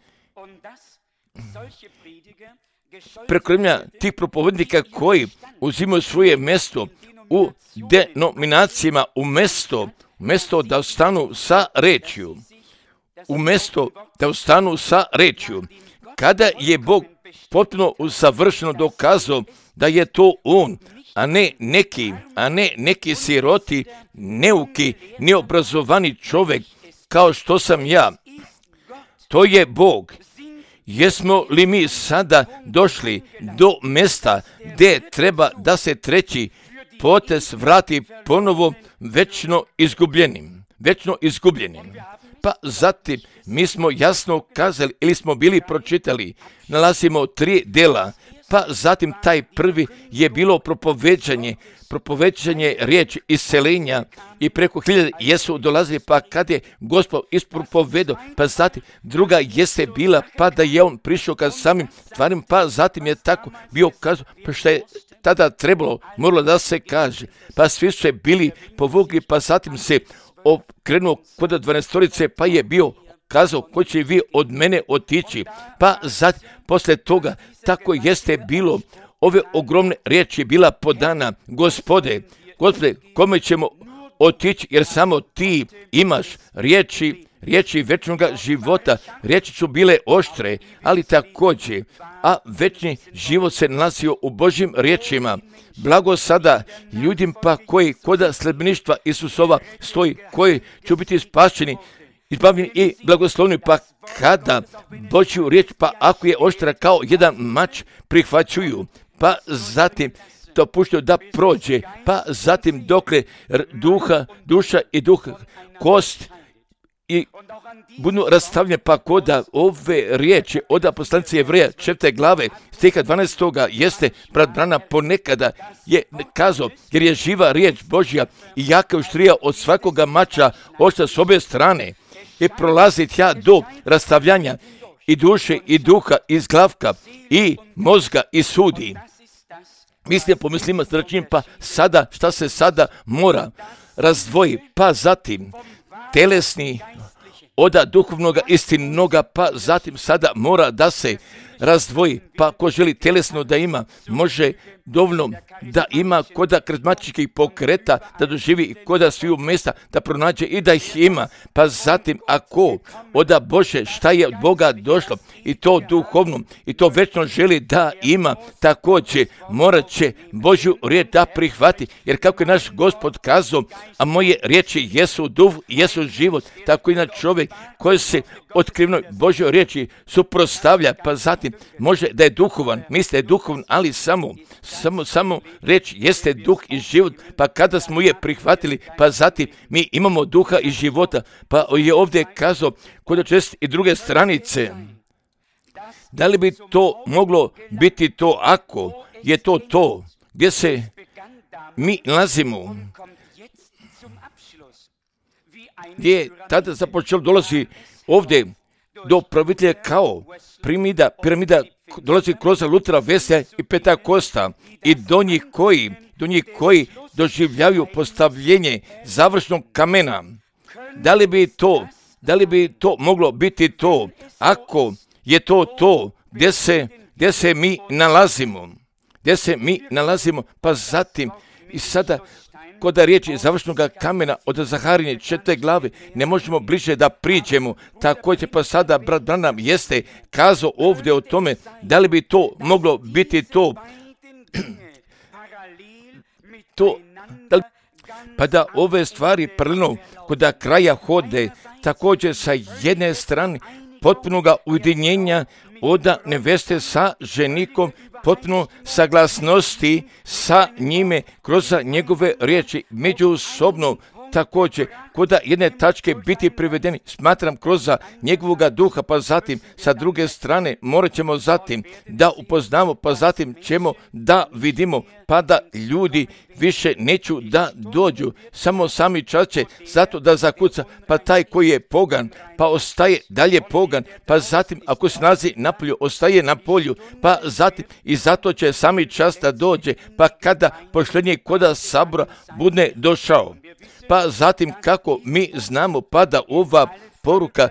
Prekrmlja tih propovednika koji uzimaju svoje mjesto u denominacijama, u mjesto, mjesto da ostanu sa rečju, u mjesto da ostanu sa rečju. Kada je Bog potpuno usavršeno dokazao da je to On, a ne neki, a ne neki siroti, neuki, neobrazovani čovjek kao što sam ja. To je Bog. Jesmo li mi sada došli do mjesta gdje treba da se treći potez vrati ponovo večno izgubljenim, večno izgubljenim? Pa zatim mi smo jasno kazali ili smo bili pročitali, nalazimo tri dela, pa zatim taj prvi je bilo propoveđanje, propoveđanje riječi iscelenja i preko hiljade jesu dolazili, pa kad je Gospod ispropovedao, pa zatim druga jeste bila, pa da je on prišao ka samim stvarima, pa zatim je tako bio kazao, pa što je tada trebalo, moralo da se kaže, pa svi su bili povukli, pa zatim se okrenuo kod dvanaestorice, pa je bio kazao, ko će vi od mene otići, pa zatim, posle toga, tako jeste bilo, ove ogromne riječi bila podana, Gospode, Gospode, kome ćemo otići, jer samo ti imaš riječi riječi večnoga života, riječi su bile oštre, ali također, a večni život se nalazio u Božjim riječima. Blago sada ljudima pa koji koda sledbeništva Isusova stoji, koji će biti spašeni, izbavljeni i blagoslovni, pa kada Božju riječ, pa ako je oštra kao jedan mač, prihvaćuju, pa zatim to puštaju da prođe, pa zatim dokle duha, duša i duh, kost i budu rastavljene, pa koda ove riječi od poslanice Jevreja četvrte glave stiha dvanaestoga jeste brat Branham ponekada je kazao, jer je živa riječ Božja i jaka oštrija od svakoga mača oštra s obje strane i prolazi tja do rastavljanja i duše i duha iz glavka i mozga i sudi. Mislim, pomislimo srčnim, pa sada, šta se sada mora razdvoji, pa zatim telesni od duhovnoga istinnoga, pa zatim sada mora da se razdvoji, pa ko želi telesno da ima, može dovoljno da ima koda karizmatičkih pokreta, da doživi i koda sviju mjesta, da pronađe i da ih ima, pa zatim ako oda Bože šta je od Boga došlo i to duhovno i to večno želi da ima, također morat će Božju riječ da prihvati, jer kako je naš Gospod kazao, a moje riječi jesu duh, jesu život, tako i na čovjek koji se otkrivnoj Božjoj riječi suprotstavlja, pa zatim može da je duhovan, misli je duhovan, ali samo, samo, samo reč jeste duh i život, pa kada smo je prihvatili, pa zatim mi imamo duha i života, pa je ovdje kazao kod čest i druge stranice. Da li bi to moglo biti to ako je to to gdje se mi nalazimo, gdje je tada započelo dolazi ovdje do pravitelja kao piramida, piramida dolazi kroz Lutera, Weslija i Pentakosta i do njih koji, do njih koji doživljavaju postavljenje završnog kamena. Da li bi to, da li bi to moglo biti to ako je to to gdje se, gdje se mi nalazimo, gdje se mi nalazimo, pa zatim i sada kod riječi završnog kamena od Zaharije četvrte glave ne možemo bliže da priđemo. Također pa sada brat Branham jeste kazao ovdje o tome da li bi to moglo biti to, to da li, pa da ove stvari paralelno kod kraja hode, također sa jedne strane potpunoga ujedinjenja od neveste sa ženikom, potpuno saglasnosti sa njime kroz njegove riječi, međusobno također kod jedne tačke biti privedeni, smatram kroz njegovoga duha, pa zatim sa druge strane morat ćemo zatim da upoznamo, pa zatim ćemo da vidimo, pa da ljudi više neću da dođu, samo sami čas će zato da zakuca, pa taj koji je pogan, pa ostaje dalje pogan, pa zatim ako se nalazi na polju, ostaje na polju, pa zatim i zato će sami čas da dođe, pa kada pošljenje koda sabora bude došao. Pa zatim kako mi znamo, pa da ova poruka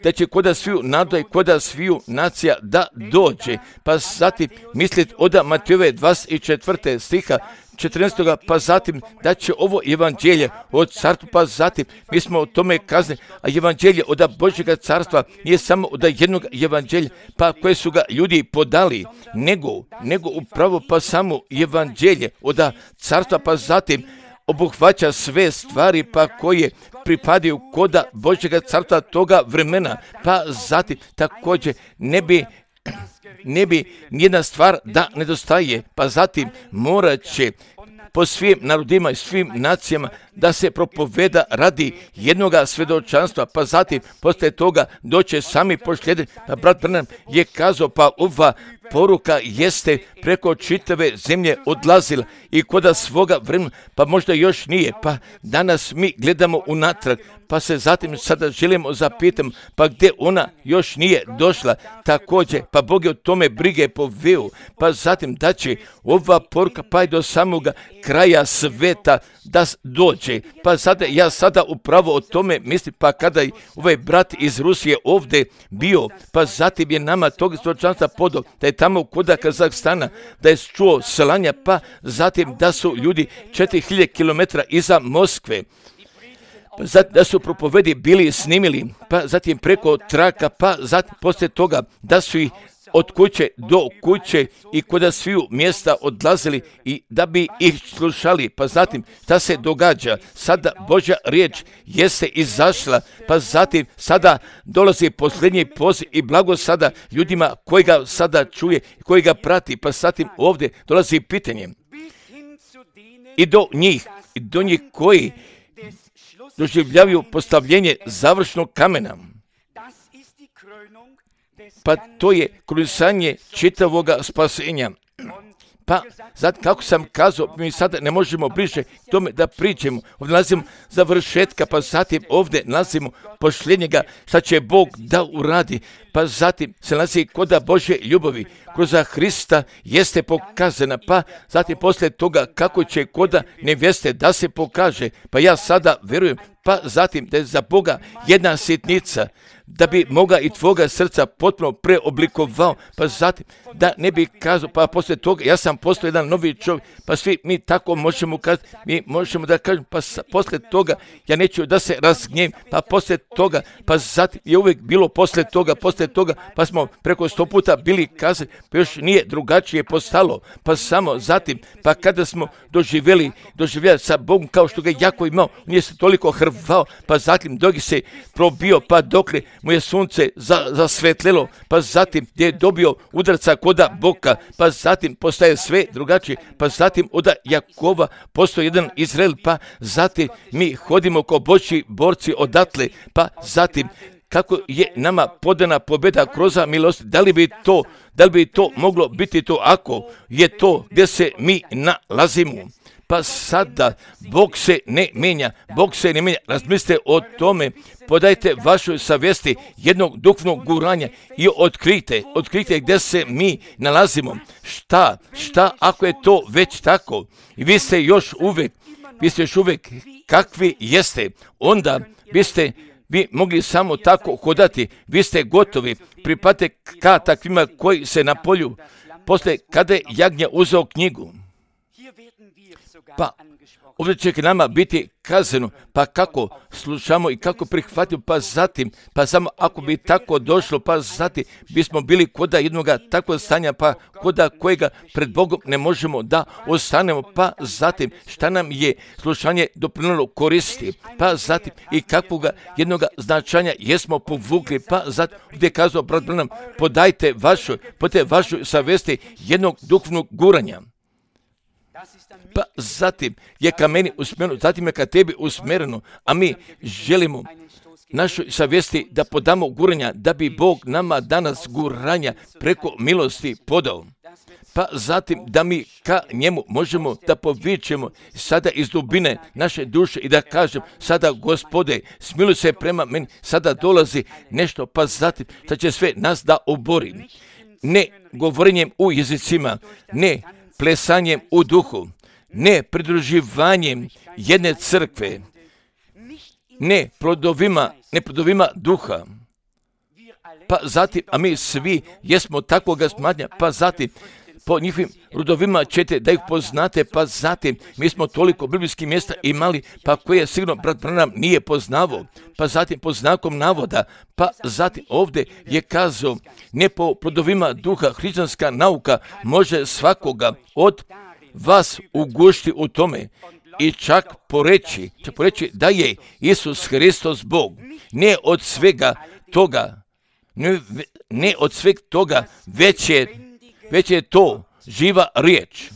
da će koda sviju naroda i koda sviju nacija da dođe. Pa zatim misliti od Matejove dvadeset četvrte stiha četrnaestog pa zatim da će ovo evanđelje od carstva, pa zatim mi smo o tome kazali, a evanđelje od Božjega carstva nije samo od jednog evanđelja, pa koje su ga ljudi podali, nego, nego upravo pa samo evanđelje od carstva, pa zatim obuhvaća sve stvari pa koje pripadaju koda Božjega carstva toga vremena, pa zatim također ne bi ne bi nijedna stvar da nedostaje, pa zatim morat će po svim narodima i svim nacijama da se propoveda radi jednoga svjedočanstva, pa zatim poslije toga doće sami pošljedi. Pa brat Branham je kazao, pa ova poruka jeste preko čitave zemlje odlazila i koda svoga vremena, pa možda još nije, pa danas mi gledamo unatrag, pa se zatim sada želimo zapitati, pa gdje ona još nije došla, također, pa Bog je o tome brige poveo, pa zatim da će ova poruka pa i do samoga kraja sveta da dođe, pa sada ja sada upravo o tome mislim, pa kada je ovaj brat iz Rusije ovdje bio, pa zatim je nama tog svjedočanstva podao, da je tamo kod Kazahstana, da je čuo slanja, pa zatim da su ljudi četiri hiljade kilometara iza Moskve. pa zatim da su propovedi bili snimili, pa zatim preko traka, pa zatim poslije toga da su ih od kuće do kuće i kod sviju mjesta odlazili i da bi ih slušali. Pa zatim šta se događa? Sada Božja riječ jeste izašla, pa zatim sada dolazi posljednji poziv i blago sada ljudima koji ga sada čuje, koji ga prati, pa zatim ovdje dolazi pitanje i do njih, i do njih koji doživljavaju postavljenje završnog kamena. Pa to je krunisanje čitavoga spasenja. Pa, zato kako sam kazao, mi sada ne možemo bliže tome da pričamo. Ovdje nalazimo završetka, pa zatim ovdje nalazimo posljednjega šta će Bog da uradi. Pa zatim se nalazi koda Božje ljubavi kroz Hrista jeste pokazana. Pa zatim poslije toga kako će koda nevjeste da se pokaže. Pa ja sada verujem, pa zatim da je za Boga jedna sitnica da bi moga i tvoga srca potpuno preoblikovao, pa zatim da ne bi kazao, pa poslije toga ja sam postao jedan novi čovjek, pa svi mi tako možemo kazati, mi možemo da kažemo, pa poslije toga ja neću da se razgnjem, pa poslije toga, pa zatim je uvijek bilo poslije toga, poslije toga, pa smo preko sto puta bili kazali, pa još nije drugačije postalo, pa samo zatim, pa kada smo doživjeli, doživjeli sa Bogom kao što ga je jako imao, nije se toliko hrvao, pa zatim dok se probio, pa dokle mu je sunce za, zasvetlilo, pa zatim gdje je dobio udarca koda Boga, pa zatim postaje sve drugačije, pa zatim od Jakova postoji jedan Izrael, pa zatim mi hodimo kao Božji borci odatle, pa zatim kako je nama podana pobjeda kroz milost, da li bi to, da li bi to moglo biti to ako je to gdje se mi nalazimo? Pa sada Bog se ne mijenja, Bog se ne mijenja, razmislite o tome, podajte vašoj savjesti jednog duhovnog guranja i otkrijte, otkrijte gdje se mi nalazimo. Šta, šta ako je to već tako i vi ste još uvijek, vi ste još uvijek kakvi jeste, onda biste vi mogli samo tako hodati, vi ste gotovi, pripadate ka takvima koji se na polju, poslije kada je jagnja uzeo knjigu. Pa ovdje će k nama biti kazano, pa kako slušamo i kako prihvatimo, pa zatim, pa samo ako bi tako došlo, pa zatim bismo bili koda jednoga takvog stanja, pa koda kojega pred Bogom ne možemo da ostanemo, pa zatim šta nam je slušanje doprinijelo koristi, pa zatim i kakvoga jednoga značanja jesmo povukli, pa zatim gdje je kazao brat Branham, podajte vašoj, podajte vašoj savjesti jednog duhovnog guranja. Pa zatim je ka meni usmjereno, zatim je ka tebi usmjereno, a mi želimo našoj savjesti da podamo guranja, da bi Bog nama danas guranja preko milosti podao. Pa zatim da mi ka njemu možemo da povičemo sada iz dubine naše duše i da kažem sada Gospode, smiluj se prema meni, sada dolazi nešto, pa zatim da će sve nas da obori. Ne govorenjem u jezicima, ne plesanjem u duhu, ne pridruživanjem jedne crkve, ne plodovima, ne plodovima duha, pa zatim, a mi svi jesmo takvoga smatranja, pa zatim po njihovim rodovima ćete da ih poznate, pa zatim mi smo toliko biblijskih mjesta imali, pa koje sigurno brat Branham nije poznavao, pa zatim po znakom navoda, pa zatim ovdje je kazao, ne po plodovima duha, hrišćanska nauka može svakoga od vas ugušti u tome i čak poreći, čak poreći da je Isus Hristos Bog, ne od svega toga, ne, ne od svega toga, već je, već je to živa riječ.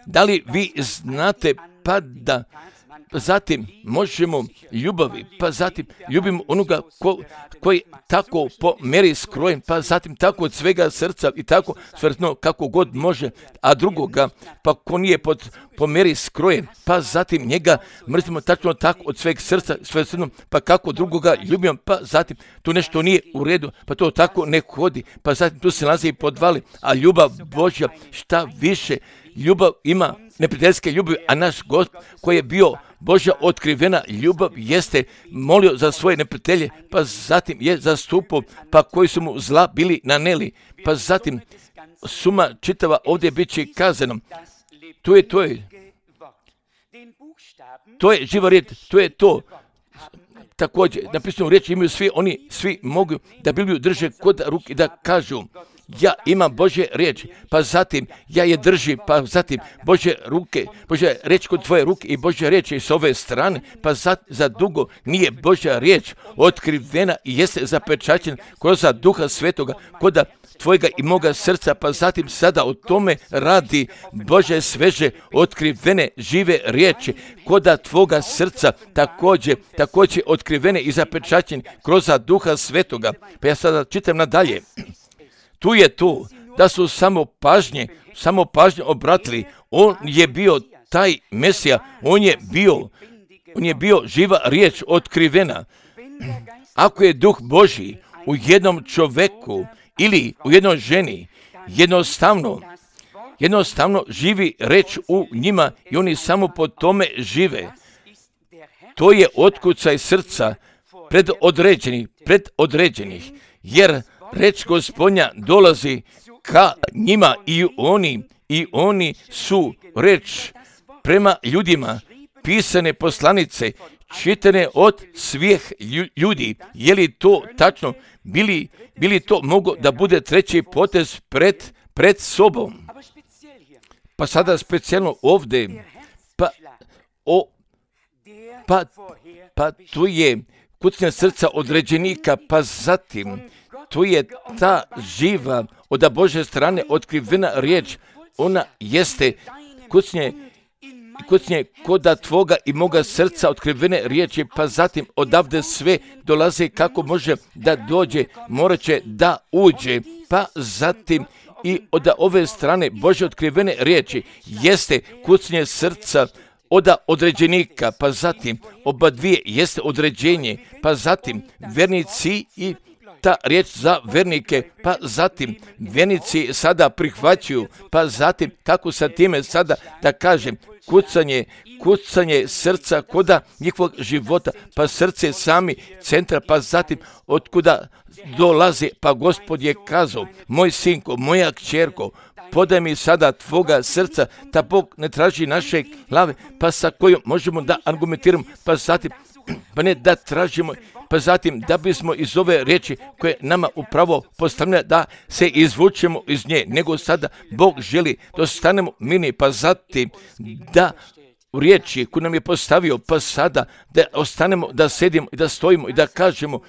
Da li vi znate pa da zatim možemo ljubavi, pa zatim ljubimo onoga ko, koji tako po meri skrojen, pa zatim tako od svega srca i tako svrtno kako god može, a drugoga pa ko nije pod, po meri skrojen, pa zatim njega mrzimo tačno tako od sveg srca, svrtno, pa kako drugoga ljubimo, pa zatim tu nešto nije u redu, pa to tako ne hodi, pa zatim tu se nalazi i podvali, a ljubav Božja šta više, ljubav ima neprijateljske ljubavi, a naš Gospod koji je bio Božja otkrivena ljubav jeste molio za svoje neprijatelje, pa zatim je zastupao, pa koji su mu zla bili naneli, pa zatim suma čitava ovdje bit će kazano. To je to je, to je živa riječ, to je to. također, napisano riječ imaju svi, oni svi mogu da Bibliju drže kod ruke i da kažu, ja imam Božje riječ, pa zatim ja je držim, pa zatim Božje ruke, Božja riječ kod tvoje ruke i Božja riječ je s ove strane, pa za, za dugo nije Božja riječ otkrivena i jeste zapečaćena kroz Duha Svetoga, kod tvojega i moga srca, pa zatim sada o tome radi Bože sveže otkrivene žive riječi koda tvoga srca, također, također otkrivene i zapečaćene kroz Duha Svetoga. Pa ja sada čitam nadalje. Tu je tu da su samo pažnje, samo pažnje obratili. On je bio taj Mesija, on je bio, on je bio živa riječ otkrivena. Ako je Duh Božji u jednom čoveku ili u jednoj ženi, jednostavno, jednostavno živi reč u njima i oni samo po tome žive. To je otkucaj srca predodređenih, predodređenih, jer reč Gospodnja dolazi ka njima i oni, i oni su reč prema ljudima, pisane poslanice, čitane od svih ljudi. Je li to tačno? Bili, bili to mogo da bude treći potez pred, pred sobom? Pa sada specijalno ovdje, pa, o, pa, pa tu je kucnja srca određenika, pa zatim tu je ta živa od Božje strane otkrivena riječ. Ona jeste kucnje, kucnje koda tvoga i moga srca otkrivene riječi, pa zatim odavde sve dolaze kako može da dođe, morat će da uđe, pa zatim i od ove strane Božje otkrivene riječi jeste kucnje srca od određenika, pa zatim oba dvije jeste određenje, pa zatim vernici i ta riječ za vernike, pa zatim vjernici sada prihvaćaju, pa zatim kako sa time sada da kažem kucanje, kucanje srca koda njihovog života, pa srce sami centra, pa zatim otkuda dolaze, pa Gospod je kazao, moj sinko, moja kćerko, podaj mi sada tvoga srca, da Bog ne traži naše glave, pa sa kojom možemo da argumentiramo, pa zatim, pa ne da tražimo, pa zatim da bismo iz ove riječi koje nama upravo postavlja da se izvučemo iz nje, nego sada Bog želi da ostanemo mirni, pa zatim da u riječi koju nam je postavio, pa sada da ostanemo, da sedimo i da stojimo i da kažemo,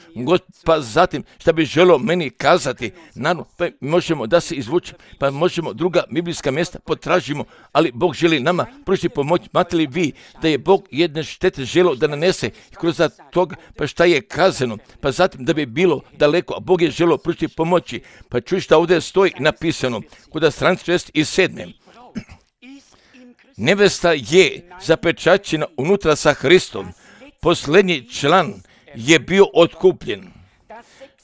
pa zatim šta bi želio meni kazati, naravno, pa možemo da se izvučemo, pa možemo druga biblijska mjesta potražimo, ali Bog želi nama pružiti pomoć. Znate li vi da je Bog jedne štete želio da nanese i kroz toga, pa šta je kazano, pa zatim da bi bilo daleko, a Bog je želio pružiti pomoći, pa čuj šta ovdje stoji napisano, kod stranice šest i sedam. Nevesta je zapečaćena unutra sa Hristom. Posljednji član je bio otkupljen.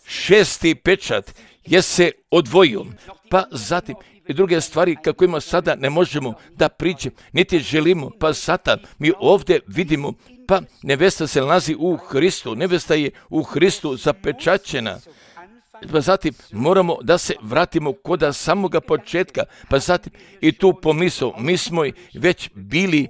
Šesti pečat je se odvojio. Pa zatim i druge stvari kako ima sada ne možemo da pričamo, niti želimo. Pa sada mi ovdje vidimo, pa nevesta se nalazi u Hristu. Nevesta je u Hristu zapečaćena. Pa zatim moramo da se vratimo koda samoga početka, pa zatim i tu pomisao, mi smo već bili,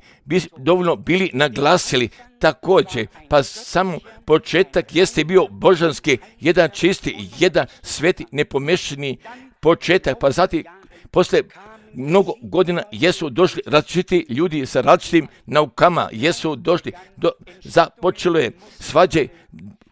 dovoljno bili naglasili također, pa samo početak jeste bio božanski, jedan čisti, jedan sveti, nepomešani početak, pa zatim poslije mnogo godina jesu došli različiti ljudi sa različitim naukama, jesu došli, do, započelo je svađe,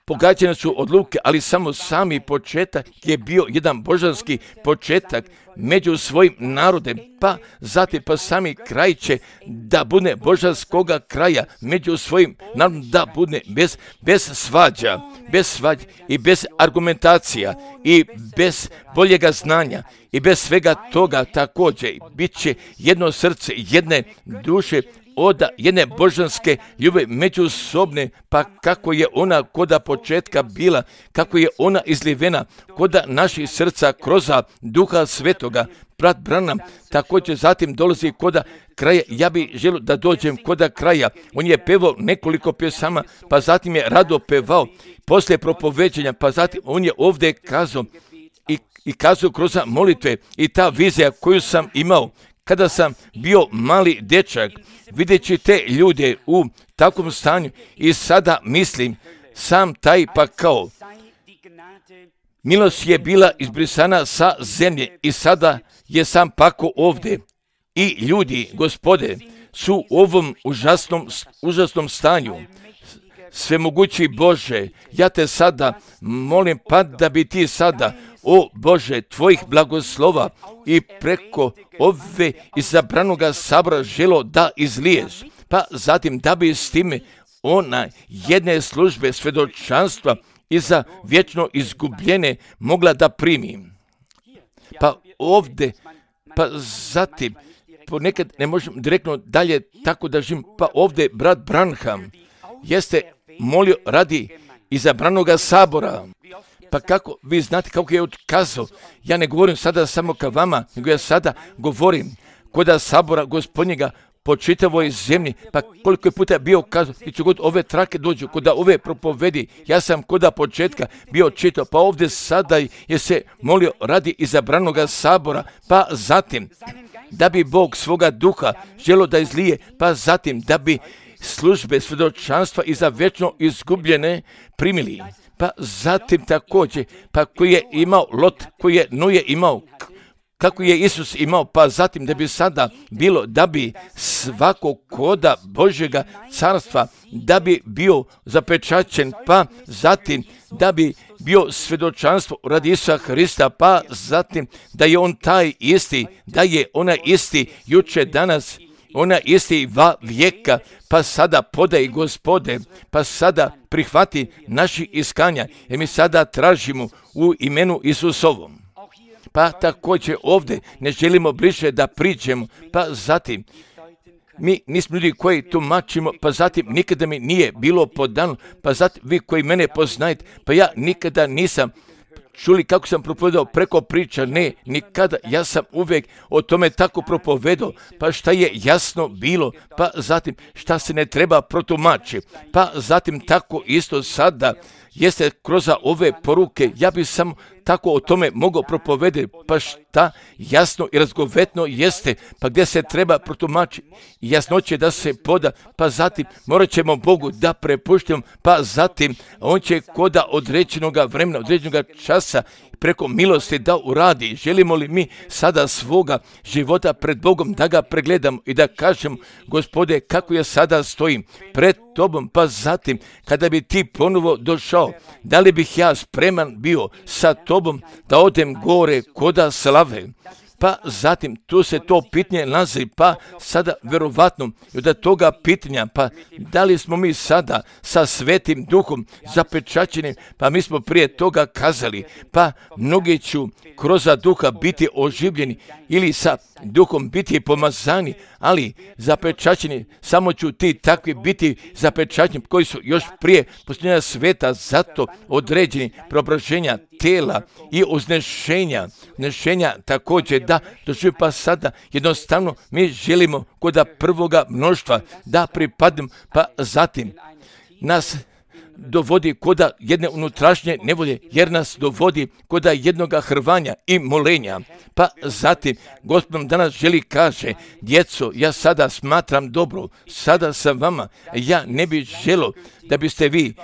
pogađane su odluke, ali samo sami početak je bio jedan božanski početak među svojim narodem, pa zatim pa sami kraj će da bude božanskoga kraja među svojim narodom, da bude bez, bez svađa, bez svađa i bez argumentacija i bez boljega znanja i bez svega toga također bit će jedno srce, jedne duše, od jedne božanske ljubavi međusobne, pa kako je ona koda početka bila, kako je ona izlivena koda naših srca kroz Duha Svetoga. Brat Branham također zatim dolazi koda kraja. Ja bih želio da dođem koda kraja. On je pevao nekoliko pjesama, pa zatim je rado pevao poslije propoveđenja, pa zatim on je ovdje kazao i, i kazao kroz molitve i ta vizija koju sam imao kada sam bio mali dečak, videći te ljude u takvom stanju i sada mislim, sam taj pa kao milost je bila izbrisana sa zemlje i sada je sam pako ovdje. I ljudi, Gospode, su u ovom užasnom, užasnom stanju. Svemogući Bože, ja te sada molim pa da bi ti sada, o Bože, tvojih blagoslova i preko ove izabranoga sabora želo da izliješ, pa zatim da bi s time ona jedne službe svjedočanstva i za vječno izgubljene mogla da primi. Pa ovdje, pa zatim, ponekad ne možem direktno dalje tako da živim, pa ovdje brat Branham jeste molio radi izabranoga sabora. Pa kako vi znate kako je otkazao, ja ne govorim sada samo ka vama, nego ja sada govorim koda sabora Gospodnjega po čitavoj zemlji, pa koliko je puta bio kazao, i ću god ove trake dođu, koda ove propovedi, ja sam koda početka bio čitao, pa ovdje sada je se molio radi izabranoga sabora, pa zatim da bi Bog svoga duha želo da izlije, pa zatim da bi službe svjedočanstva i za vječno izgubljene primili. Pa zatim također, pa koji je imao Lot, koji je Noje imao, kako je Isus imao, pa zatim da bi sada bilo da bi svako koda Božjega carstva, da bi bio zapečaćen, pa zatim da bi bio svjedočanstvo radi Isusa Hrista, pa zatim da je on taj isti, da je ona isti juče, danas, ona isti va vijeka, pa sada podaj Gospode, pa sada prihvati naši iskanja, jer mi sada tražimo u imenu Isusovom. Pa također ovdje ne želimo bliže da priđemo, pa zatim mi nismo ljudi koji tumačimo, pa zatim nikada mi nije bilo podano, pa zatim vi koji mene poznajete, pa ja nikada nisam čuli kako sam propovedao preko priča, ne, nikada, ja sam uvijek o tome tako propovedao, pa šta je jasno bilo, pa zatim šta se ne treba protumači, pa zatim tako isto sada jeste kroz ove poruke, ja bi samo tako o tome mogao propovedati, pa šta jasno i razgovetno jeste, pa gdje se treba protumačiti, jasnoće da se poda, pa zatim morat ćemo Bogu da prepuštimo, pa zatim on će koda određenoga vremena, određenoga časa preko milosti da uradi. Želimo li mi sada svoga života pred Bogom da ga pregledamo i da kažemo, Gospode, kako ja sada stojim pred tobom, pa zatim kada bi ti ponovo došao, da li bih ja spreman bio sa tobom da odem gore koda slave. Pa zatim tu se to pitanje nalazi, pa sada verovatno od toga pitanja, pa da li smo mi sada sa Svetim Duhom zapečaćeni, pa mi smo prije toga kazali, pa mnogi ću kroz duha biti oživljeni ili sa duhom biti pomazani, ali zapečaćeni, samo ću ti takvi biti zapečaćeni koji su još prije posljednja sveta, zato određeni preobraženja tela i uznešenja, uznešenja također da doživi, pa sada jednostavno mi želimo koda prvoga mnoštva da pripadnem, pa zatim nas dovodi koda jedne unutrašnje nevolje, jer nas dovodi koda jednoga hrvanja i molenja. Pa zatim, Gospod nam danas želi kaže, djeco, ja sada smatram dobro, sada sam vama, ja ne bih želo da biste vi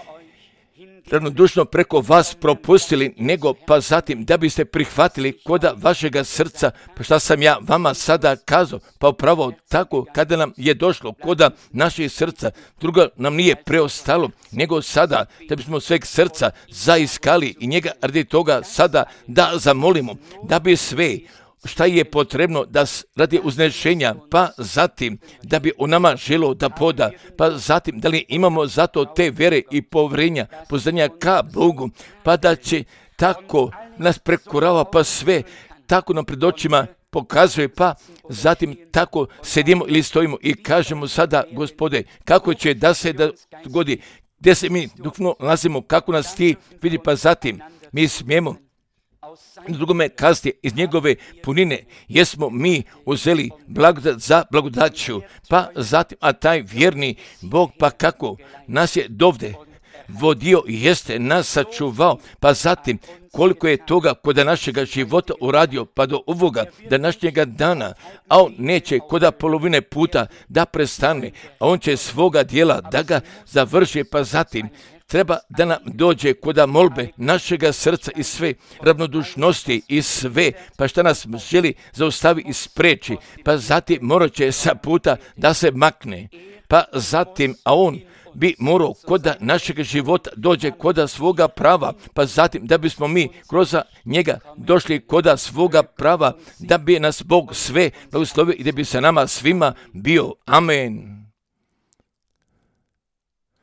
ravnodušno preko vas propustili, nego pa zatim da biste prihvatili koda vašega srca, pa šta sam ja vama sada kazao, pa upravo tako kada nam je došlo koda naših srca, drugo nam nije preostalo, nego sada da bismo sveg srca zaiskali i njega radi toga sada da zamolimo, da bi sve šta je potrebno da radi uznešenja, pa zatim da bi u nama želo da poda, pa zatim da li imamo zato te vere i povrenja, poznanja ka Bogu, pa da će tako nas prekorava, pa sve tako nam pred očima pokazuje, pa zatim tako sedimo ili stojimo i kažemo sada, Gospode, kako će da se da dogodi, gdje se mi duhovno nalazimo, kako nas ti vidi, pa zatim mi smijemo na drugome kazati iz njegove punine, jesmo mi uzeli blagodat za blagodaću, pa zatim, a taj vjerni Bog, pa kako nas je dovde vodio i jeste nas sačuvao, pa zatim koliko je toga kod našega života uradio pa do ovoga današnjega dana, a on neće kod polovine puta da prestane, a on će svoga dijela da ga završi, pa zatim treba da nam dođe kod molbe našega srca i sve ravnodušnosti i sve, pa šta nas želi zaustavi i spreči, pa zatim morat će sa puta da se makne, pa zatim, a on bi morao kod našeg života dođe kod svoga prava, pa zatim da bismo mi kroz njega došli kod svoga prava, da bi nas Bog sve blagoslovio i da bi sa nama svima bio. Amen.